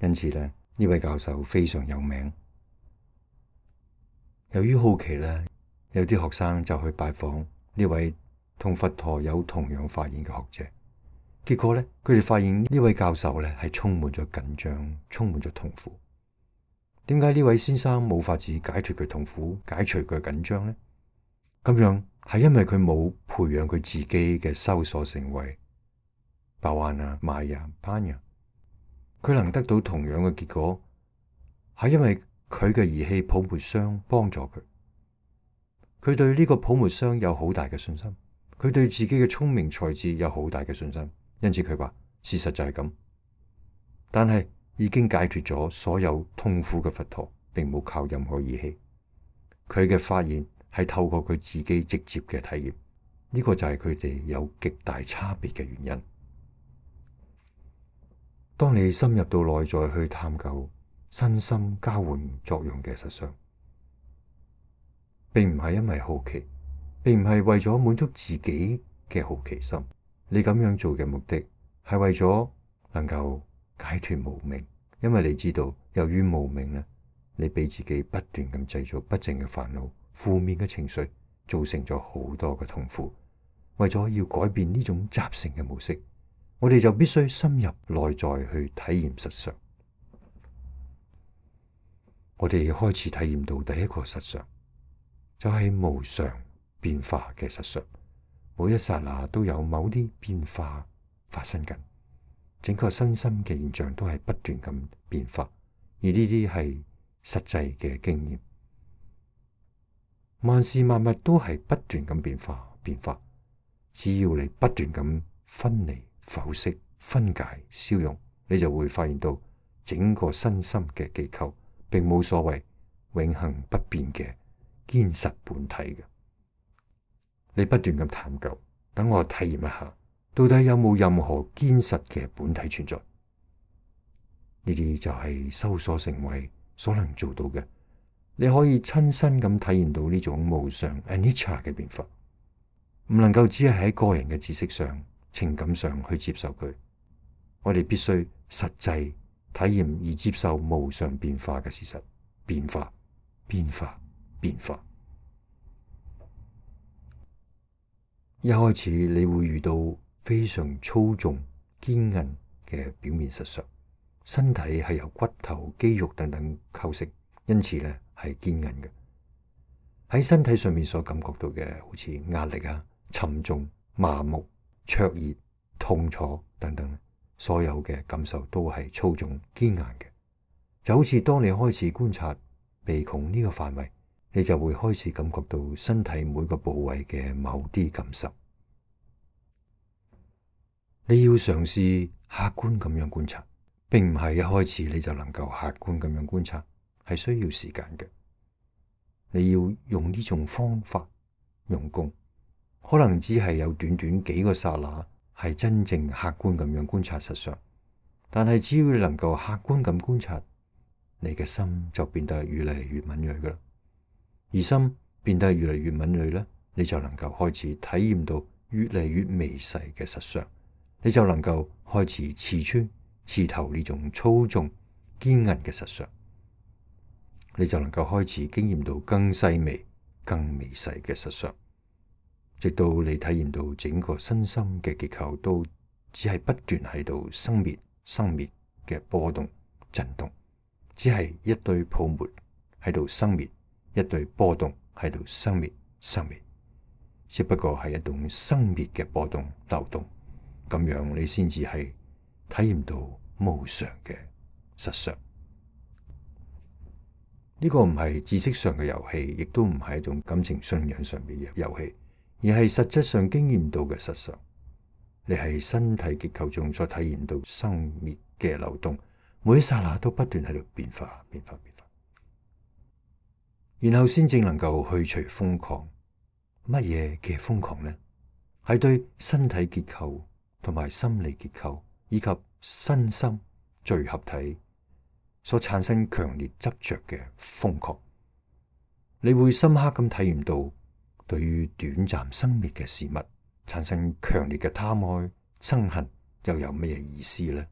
Speaker 1: 因此呢，呢位教授非常有名。由於好奇呢，有啲學生就去拜訪呢位同佛陀有同樣發現嘅學者。結果呢，佢哋發現呢位教授呢係充滿咗緊張，充滿咗痛苦。點解呢位先生冇法子解脫佢痛苦，解除佢緊張呢？咁樣係因為佢冇培養佢自己嘅修所成為巴瓦那、瑪雅、班雅。佢能得到同樣嘅結果，係因為佢嘅儀器泡沫箱幫助佢。佢對呢個泡沫箱有好大嘅信心，佢對自己嘅聰明才智有好大嘅信心，因此佢話事實就係咁。但係已經解脫咗所有痛苦嘅佛陀，並冇靠任何儀器。佢嘅發現係透過佢自己直接嘅體驗，呢個就係佢哋有極大差別嘅原因。當你深入到內在去探究身心交換作用嘅實相，並唔係因為好奇，並唔係為咗滿足自己嘅好奇心。你咁樣做嘅目的係為咗能夠解脫無明，因為你知道由於無明呢，你俾自己不斷咁製造不正嘅煩惱、負面嘅情緒，造成咗好多嘅痛苦。為咗要改變呢種習性嘅模式，我哋就必須深入內在去體驗實相。我哋開始體驗到第一個實相，就係無常變化嘅實相。每一剎那都有某啲變化發生緊，整個身心嘅現象都係不斷咁變化，而呢啲係實際嘅經驗。萬事萬物都係不斷咁變化變化，只要你不斷咁分離、剖析、分解、消融，你就會發現到整個身心嘅結構並冇所謂永恆不變嘅堅實本體嘅。你不斷咁探究，等我體驗一下，到底有冇任何堅實嘅本體存在？呢啲就係修所成慧所能做到嘅。你可以親身咁體驗到呢種無常 anicca 嘅變化，唔能夠只係喺個人嘅知識上、情感上去接受佢。我哋必須實際體驗而接受無常變化嘅事實。變化，變化，變化。一開始你會遇到非常粗重、堅韌嘅表面實相，身體係由骨頭、肌肉等等構成，因此呢係堅韌嘅。喺身體上面所感覺到嘅，好似壓力啊、沉重、麻木、灼熱、痛楚等等，所有嘅感受都係粗重、堅硬嘅。就好似當你開始觀察鼻孔呢個範圍，你就會開始感覺到身體每個部位嘅某啲感受。你要嘗試客觀咁樣觀察，並唔係一開始你就能夠客觀咁樣觀察，係需要時間嘅。你要用呢種方法用功，可能只係有短短幾個剎那係真正客觀咁樣觀察實相，但係只要你能夠客觀咁觀察，你嘅心就變得越嚟越敏銳噶啦。而心變得越嚟越敏銳咧，你就能夠開始體驗到越嚟越微細嘅實相，你就能夠開始刺穿、刺透呢種粗重、堅韌嘅實相，你就能夠開始經驗到更細微、更微細嘅實相，直到你體驗到整個身心嘅結構都只係不斷喺度生滅、生滅嘅波動、震動。只係一堆泡沫喺度生滅，一堆波動喺度生滅生滅，只不過係一種生滅嘅波動流動，咁樣你先至係體驗到無常嘅實相。呢個唔係知識上嘅遊戲，亦都唔係一種感情信仰上面嘅遊戲，而係實質上經驗到嘅實相。你係身體結構中所體驗到生滅嘅流動。每一剎那都不斷喺度變化、變化、變化，然後先正能夠去除瘋狂。乜嘢嘅瘋狂呢？係對身體結構同埋心理結構以及身心聚合體所產生強烈執着嘅瘋狂。你會深刻咁體驗到，對於短暫生滅嘅事物產生強烈嘅貪愛、憎恨，又有乜嘢意思呢？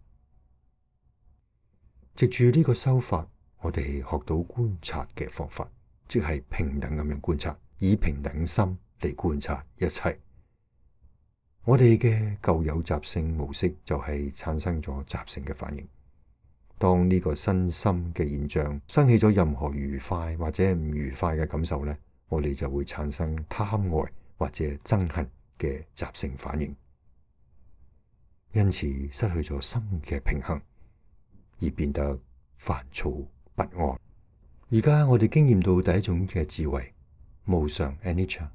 Speaker 1: 藉住呢個修法，我哋學到觀察嘅方法，即係平等咁樣觀察，以平等心嚟觀察一切。我哋嘅舊有習性模式就係產生咗習性嘅反應。當呢個身心嘅現象生起咗任何愉快或者唔愉快嘅感受呢，我哋就會產生貪愛或者憎恨嘅習性反應，因此失去咗心嘅平衡，而變得煩躁不安。而家我哋經驗到第一種嘅智慧，無常 anicca。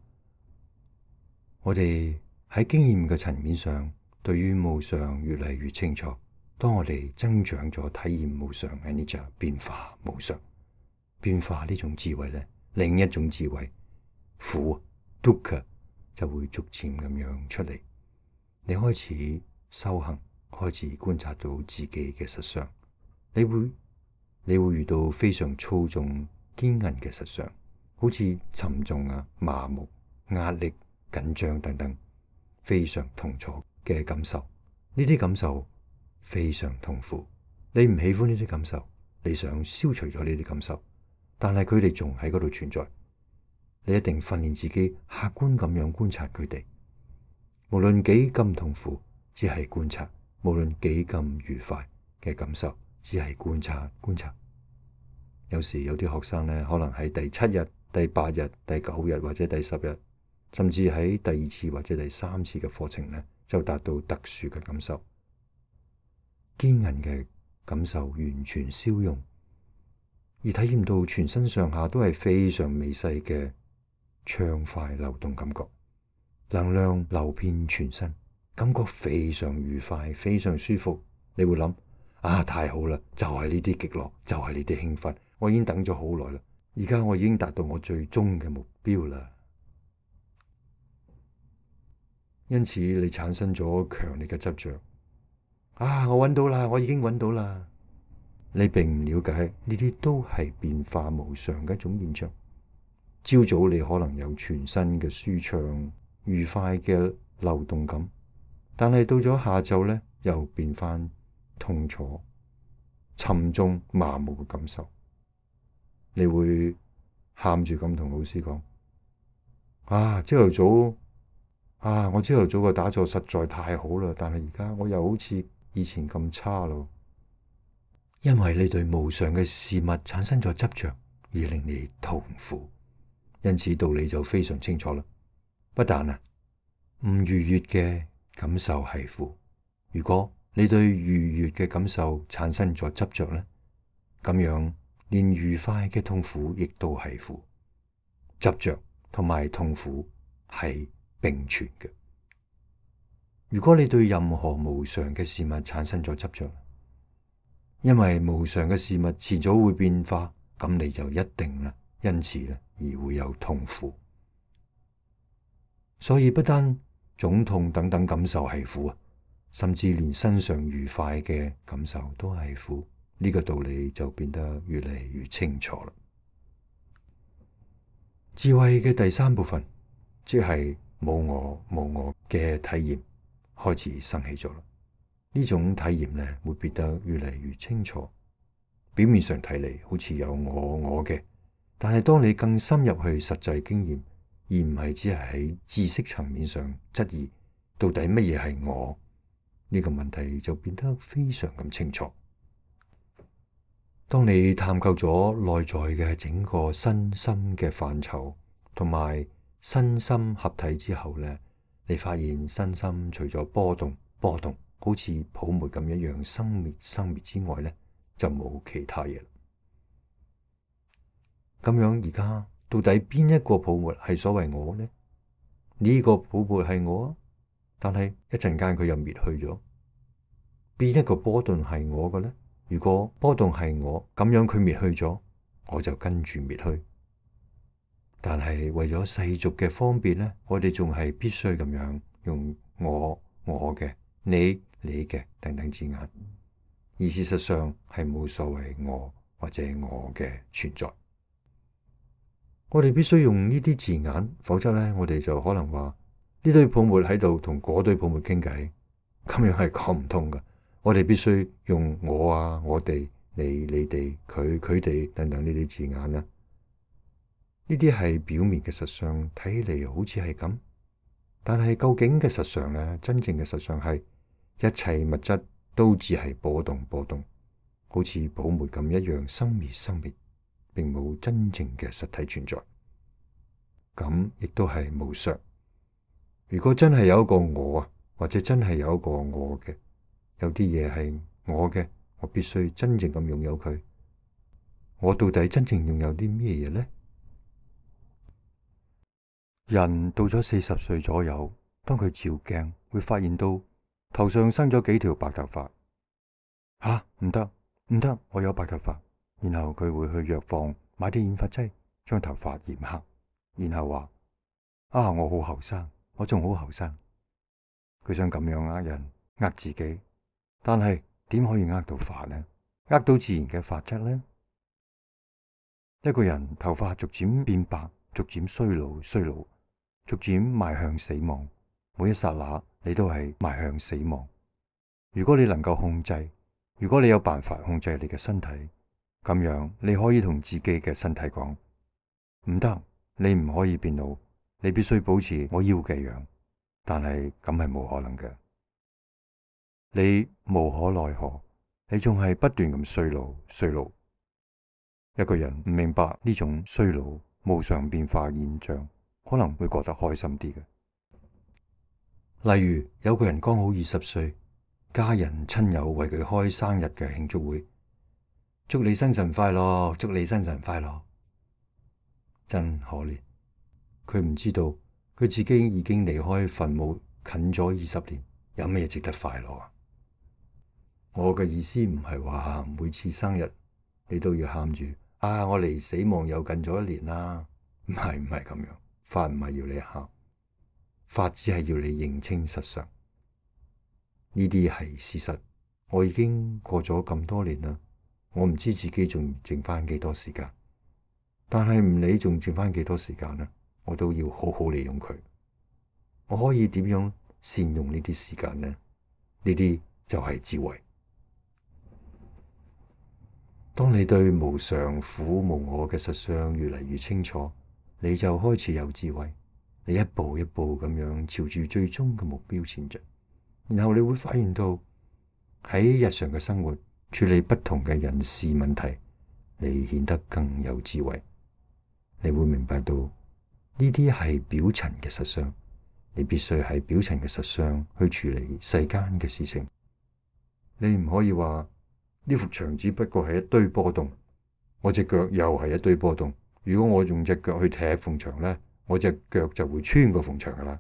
Speaker 1: 我哋喺經驗嘅層面上，對於無常越嚟越清楚。當我哋增長咗體驗無常 anicca 變化無常變化呢種智慧咧，另一種智慧苦 dukkha 就會逐漸咁樣出嚟。你開始修行，開始觀察到自己嘅實相，你會你會遇到非常粗重堅韌嘅實相，好似沉重啊、麻木、壓力、緊張等等，非常痛楚嘅感受。呢啲感受非常痛苦，你唔喜歡呢啲感受，你想消除咗呢啲感受，但係佢哋仲喺嗰度存在。你一定訓練自己客觀咁樣觀察佢哋，無論幾咁痛苦，只係觀察；無論幾咁愉快嘅感受，只係觀察觀察。有時有啲學生呢，可能喺第七日、第八日、第九日或者第十日，甚至喺第二次或者第三次嘅課程呢，就達到特殊嘅感受，堅韌嘅感受完全消融，而體驗到全身上下都係非常微細嘅暢快流動感覺，能量流遍全身，感覺非常愉快，非常舒服。你會諗啊，太好啦，就係呢啲極樂，就係呢啲興奮，我已經等咗好耐啦，而家我已經達到我最終嘅目標啦。因此你產生咗強烈嘅執着，啊，我揾到啦，我已經揾到啦。你並唔了解呢啲都係變化無常嘅一種現象。朝早你可能有全身嘅舒暢愉快嘅流動感，但係到咗下晝呢，又變翻痛楚沉重麻木嘅感受。你會喊住咁同老師講，啊，朝頭早啊，我朝頭早嘅打坐實在太好啦，但係而家我又好似以前咁差咯。因為你對無常嘅事物產生咗執着，而令你痛苦。因此道理就非常清楚啦。不但啊，唔愉悅嘅感受係苦。如果你對愉悅嘅感受產生咗執着呢，咁樣連愉快嘅痛苦亦都係苦。執着同埋痛苦係並存嘅。如果你對任何無常嘅事物產生咗執着，因為無常嘅事物遲早會變化，咁你就一定啦，因此咧而會有痛苦。所以不單腫痛等等感受係苦啊，甚至連身上愉快嘅感受都係苦。呢個道理就變得越嚟越清楚啦。智慧嘅第三部分，即係無我無我嘅體驗開始生起咗啦。呢種體驗呢，會變得越嚟越清楚。表面上睇嚟好似有我我嘅，但係當你更深入去實際經驗，而唔係只係喺知識層面上質疑到底乜嘢係我，呢個問題就變得非常咁清楚。當你探究咗內在嘅整個身心嘅範疇，同埋身心合體之後呢，你發現身心除咗波動波動，好似泡沫咁一樣生滅生滅之外呢，就冇其他嘢。咁樣而家到底邊一個泡沫係所謂我呢？呢個泡沫係我啊，但係一陣間佢又滅去咗。邊一個波動係我嘅呢？如果波動係我，咁樣佢滅去咗，我就跟住滅去。但係為咗世俗嘅方便呢，我哋仲係必須咁樣用我、我嘅、你、你嘅等等字眼，而事實上係冇所謂我或者我嘅存在。我哋必須用呢啲字眼，否則呢，我哋就可能話呢堆泡沫喺度同嗰堆泡沫傾偈，咁樣係講唔通㗎。我哋必須用我啊、我哋、你、你哋、佢、佢哋等等呢啲字眼啦。呢啲係表面嘅實相，睇嚟好似係咁，但係究竟嘅實相呢？真正嘅實相係一切物質都只係波動波動，好似泡沫咁一樣生滅生滅，並冇真正嘅實體存在。咁亦都係無常。如果真係有一個我啊，或者真係有一個我嘅，有啲嘢係我嘅，我必須真正咁擁有佢。我到底真正擁有啲咩嘢呢？人到咗四十歲左右，當佢照鏡，會發現到頭上生咗幾條白頭髮。吓，唔得唔得，我有白頭髮。然後佢會去藥房買啲染髮劑，將頭髮染黑，然後話：啊，我好後生，我仲好後生。佢想咁樣呃人，呃自己，但係點可以呃到髮呢？呃到自然嘅髮質呢？一個人頭髮逐漸變白，逐漸衰老衰老，逐漸邁向死亡。每一剎那，你都係邁向死亡。如果你能夠控制，如果你有辦法控制你嘅身體，咁樣你可以同自己嘅身體講：唔得，你唔可以變老，你必須保持我要嘅樣。但係咁係冇可能嘅，你無可奈何，你仲係不斷咁衰老衰老。一個人唔明白呢種衰老無常變化現象，可能會覺得開心啲嘅。例如有個人剛好二十歲，家人親友為佢開生日嘅慶祝會，祝你生辰快樂，祝你生辰快樂。真可憐，佢唔知道佢自己已經離開墳墓近咗二十年，有咩值得快樂啊？我嘅意思唔係話每次生日你都要喊住啊，我離死亡又近咗一年啦，唔係唔係咁樣。法唔係要你喊，法只係要你認清實相。呢啲係事實。我已經過咗咁多年啦，我唔知自己仲剩翻幾多時間，但係唔理仲剩翻幾多時間啦，我都要好好利用佢。我可以點樣善用呢啲時間呢？呢啲就係智慧。當你對無常、苦、無我嘅實相越嚟越清楚，你就開始有智慧。你一步一步咁樣朝住最終嘅目標前進，然後你會發現到喺日常嘅生活處理不同嘅人事問題，你顯得更有智慧。你會明白到呢啲係表層嘅實相，你必須喺表層嘅實相去處理世間嘅事情。你唔可以話呢幅牆只不過係一堆波動，我隻腳又係一堆波動。如果我用隻腳去踢縫牆咧，我隻腳就會穿過縫牆噶啦。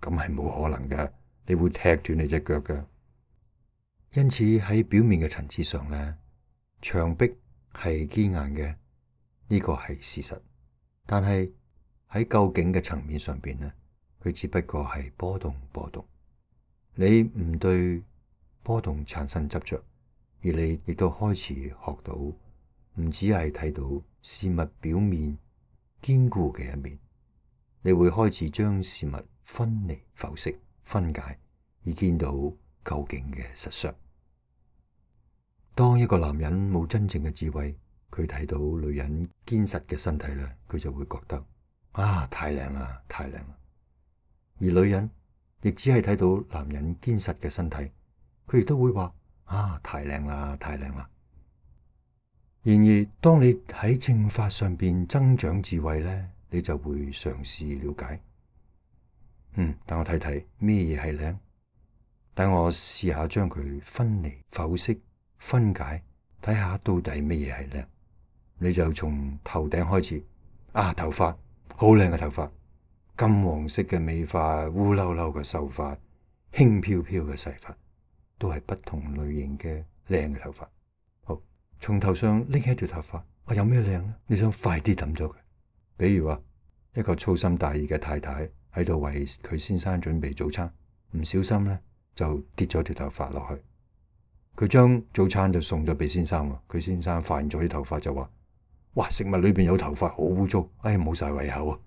Speaker 1: 咁係冇可能嘅，你會踢斷你隻腳嘅。因此喺表面嘅層次上咧，牆壁係堅硬嘅，呢個係事實。但係喺究竟嘅層面上邊咧，佢只不過係波動波動。你唔對波動產生執着，而你亦都開始學到，唔只係睇到事物表面堅固嘅一面，你會開始將事物分離、剖析、分解，而見到究竟嘅實相。當一個男人冇真正嘅智慧，佢睇到女人堅實嘅身體咧，佢就會覺得啊，太靚啦，太靚啦。而女人亦只係睇到男人堅實嘅身體，佢亦都會話啊，太靚啦，太靚啦。然而，當你喺正法上邊增長智慧咧，你就會嘗試了解。嗯，等我睇睇咩嘢係靚，等我試下將佢分離、剖析、分解，睇下到底咩嘢係靚。你就從頭頂開始，啊，頭髮好靚嘅頭髮，金黃色嘅美髮，烏溜溜嘅秀髮，輕飄飄嘅細髮，都係不同類型嘅靚嘅頭髮。好，從頭上拎起一條頭髮，啊，有咩靚咧？你想快啲抌咗佢。比如話，一個粗心大意嘅太太喺度為佢先生準備早餐，唔小心咧就跌咗條頭髮落去。佢將早餐就送咗俾先生，佢先生發現咗啲頭髮就話：哇，食物裏邊有頭髮，好污糟，哎，冇晒胃口啊！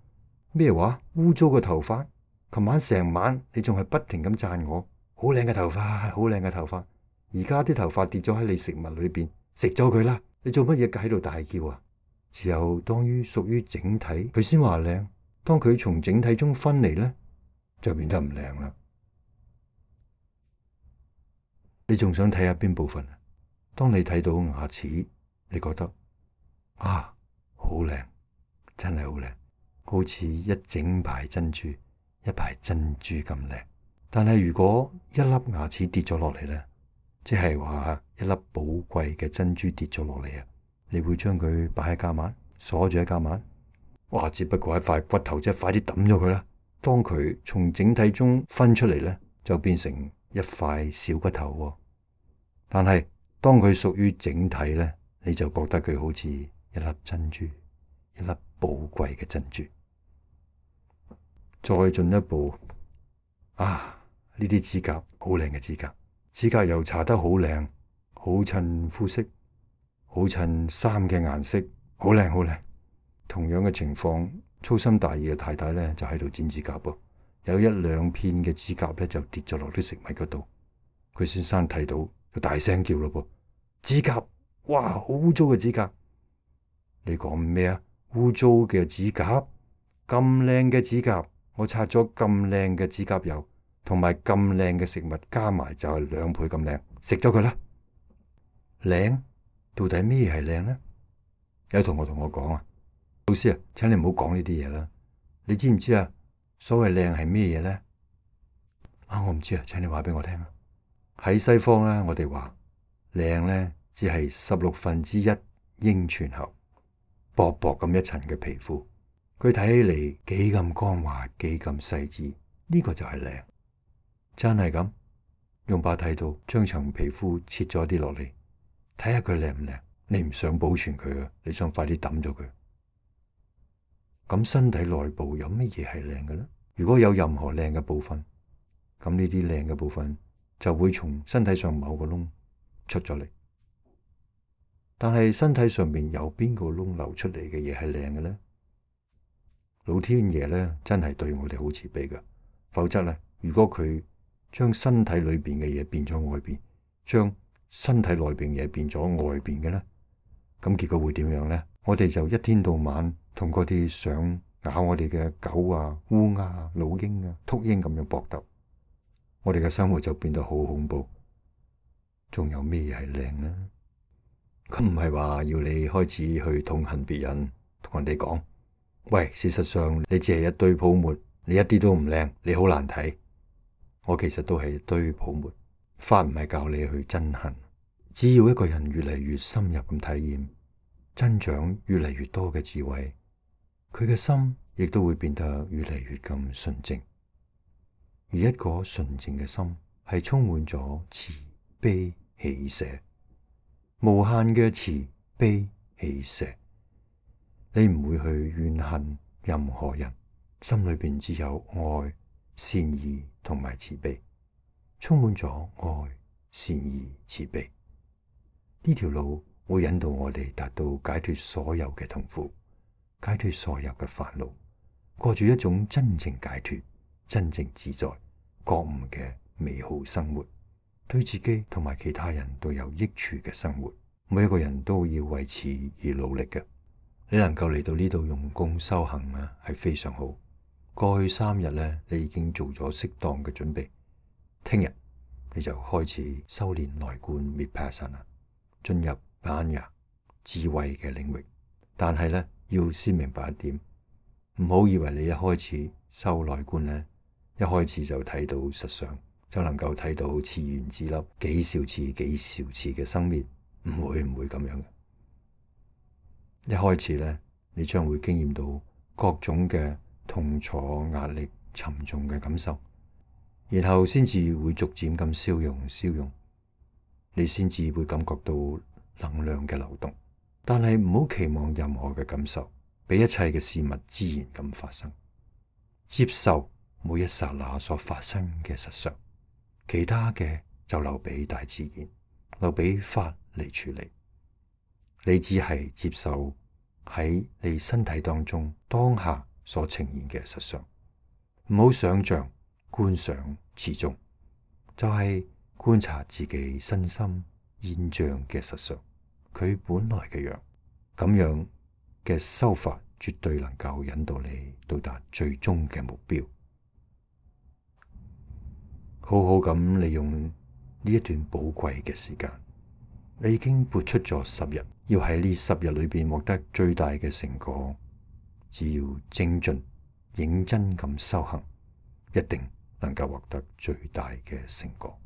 Speaker 1: 咩話？污糟嘅頭髮？琴晚成晚你仲係不停咁讚我，好靚嘅頭髮，好靚嘅頭髮。而家啲頭髮跌咗喺你食物裏邊，食咗佢啦！你做乜嘢喺度大叫啊？只有當於屬於整體，佢先話靚。當佢從整體中分離咧，就變得唔靚啦。你仲想睇下邊部分啊？當你睇到牙齒，你覺得啊，好靚，真係好靚，好似一整排珍珠，一排珍珠咁靚。但係如果一粒牙齒跌咗落嚟咧，即係話一粒寶貴嘅珍珠跌咗落嚟啊，你會將佢擺喺夾萬，鎖住喺夾萬？哇！只不過係塊骨頭啫，快啲抌咗佢啦。當佢從整體中分出嚟咧，就變成一塊小骨頭喎。但係當佢屬於整體咧，你就覺得佢好似一粒珍珠，一粒寶貴嘅珍珠。再進一步，啊！呢啲指甲好靚嘅指甲，指甲油搽得好靚，好襯膚色，好襯衫嘅顏色，好靚好靚。同樣嘅情況，粗心大意嘅太太咧就喺度剪指甲噃，有一兩片嘅指甲咧就跌咗落啲食物嗰度。佢先生睇到就大聲叫咯噃：指甲，哇，好污糟嘅指甲！你講咩啊？污糟嘅指甲？咁靚嘅指甲，我擦咗咁靚嘅指甲油，同埋咁靚嘅食物加埋就係兩倍咁靚，食咗佢啦。靚？到底咩係靚呢？有同學同我講啊，老師啊，請你唔好講呢啲嘢啦。你知唔知啊？所謂靚係咩嘢呢？啊，我唔知啊，請你話俾我聽啊。喺西方咧，我哋話靚咧，只係十六分之一英寸厚，薄薄咁一層嘅皮膚，佢睇起嚟幾咁光滑，幾咁細緻，呢個就係靚。真係咁，用把剃刀將層皮膚切咗啲落嚟，睇下佢靚唔靚。你唔想保存佢啊，你想快啲抌咗佢。咁身體內部有乜嘢係靚嘅呢？如果有任何靚嘅部分，咁呢啲靚嘅部分就會從身體上某個窿出咗嚟。但係身體上面有邊個窿流出嚟嘅嘢係靚嘅呢？老天爺咧真係對我哋好慈悲噶，否則咧，如果佢將身體裏邊嘅嘢變咗外邊，將身體內邊嘢變咗外邊嘅咧，咁結果會點樣咧？我哋就一天到晚同嗰啲想咬我哋嘅狗啊、烏鴉啊、老鷹啊、禿鷹咁樣搏鬥，我哋嘅生活就變得好恐怖。仲有咩嘢係靚呢？咁唔係話要你開始去痛恨別人，同人哋講，喂，事實上你只係一堆泡沫，你一啲都唔靚，你好難睇。我其實都係一堆泡沫。法唔係教你去憎恨，只要一個人越嚟越深入咁體驗，增長越嚟越多嘅智慧，佢嘅心亦都會變得越嚟越咁純淨。而一個純淨嘅心係充滿咗慈悲喜捨，無限嘅慈悲喜捨。你唔會去怨恨任何人，心裏邊只有愛、善意同埋慈悲，充滿咗愛、善意、慈悲。呢條路會引導我哋達到解脫所有嘅痛苦，解脫所有嘅煩惱，過住一種真正解脫、真正自在、覺悟嘅美好生活，對自己同埋其他人都有益處嘅生活。每一個人都要為此而努力嘅。你能夠嚟到呢度用功修行啊，係非常好。過去三日咧，你已經做咗適當嘅準備。聽日你就開始修煉內觀 Vipassana，進入般若智慧嘅領域。但係咧，要先明白一點，唔好以為你一開始修內觀咧，一開始就睇到實相，就能夠睇到次元之粒幾兆次、幾兆次嘅生滅，唔會唔會咁樣嘅。一開始咧，你將會經驗到各種嘅痛楚、壓力、沉重嘅感受，然後先至會逐漸咁消融、消融，你先至會感覺到能量嘅流動。但係唔好期望任何嘅感受，俾一切嘅事物自然咁發生，接受每一剎那所發生嘅實相，其他嘅就留俾大自然，留俾法嚟處理。你只係接受喺你身體當中當下所呈現嘅實相，唔好想象、觀想其中，就係、是、觀察自己身心現象嘅實相，佢本來嘅樣。咁樣嘅修法絕對能夠引導你到達最終嘅目標。好好咁利用呢一段寶貴嘅時間。你已經撥出咗十日，要喺呢十日裏邊獲得最大嘅成果，只要精進、認真咁修行，一定能夠獲得最大嘅成果。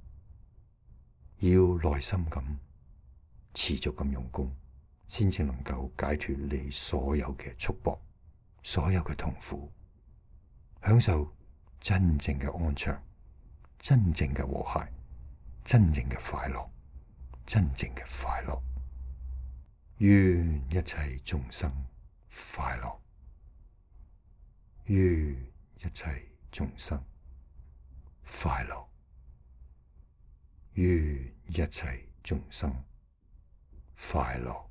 Speaker 1: 要耐心咁、持續咁用功，先至能夠解脫你所有嘅束縛，所有嘅痛苦，享受真正嘅安詳，真正嘅和諧，真正嘅快樂，真正嘅快樂。願一切眾生快樂，願一切眾生快樂，願一切眾生快樂。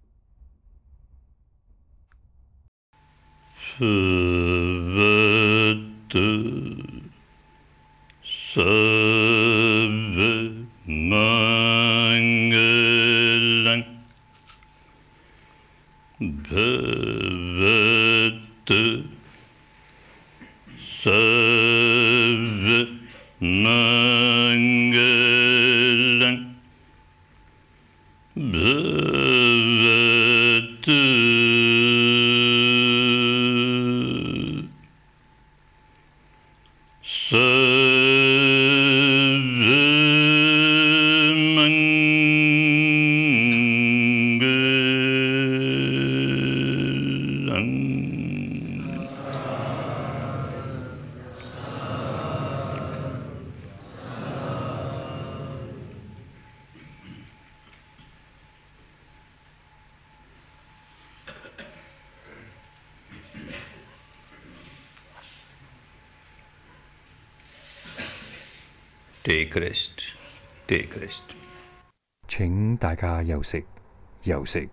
Speaker 2: Take rest, take rest。
Speaker 1: 請大家休息，休息。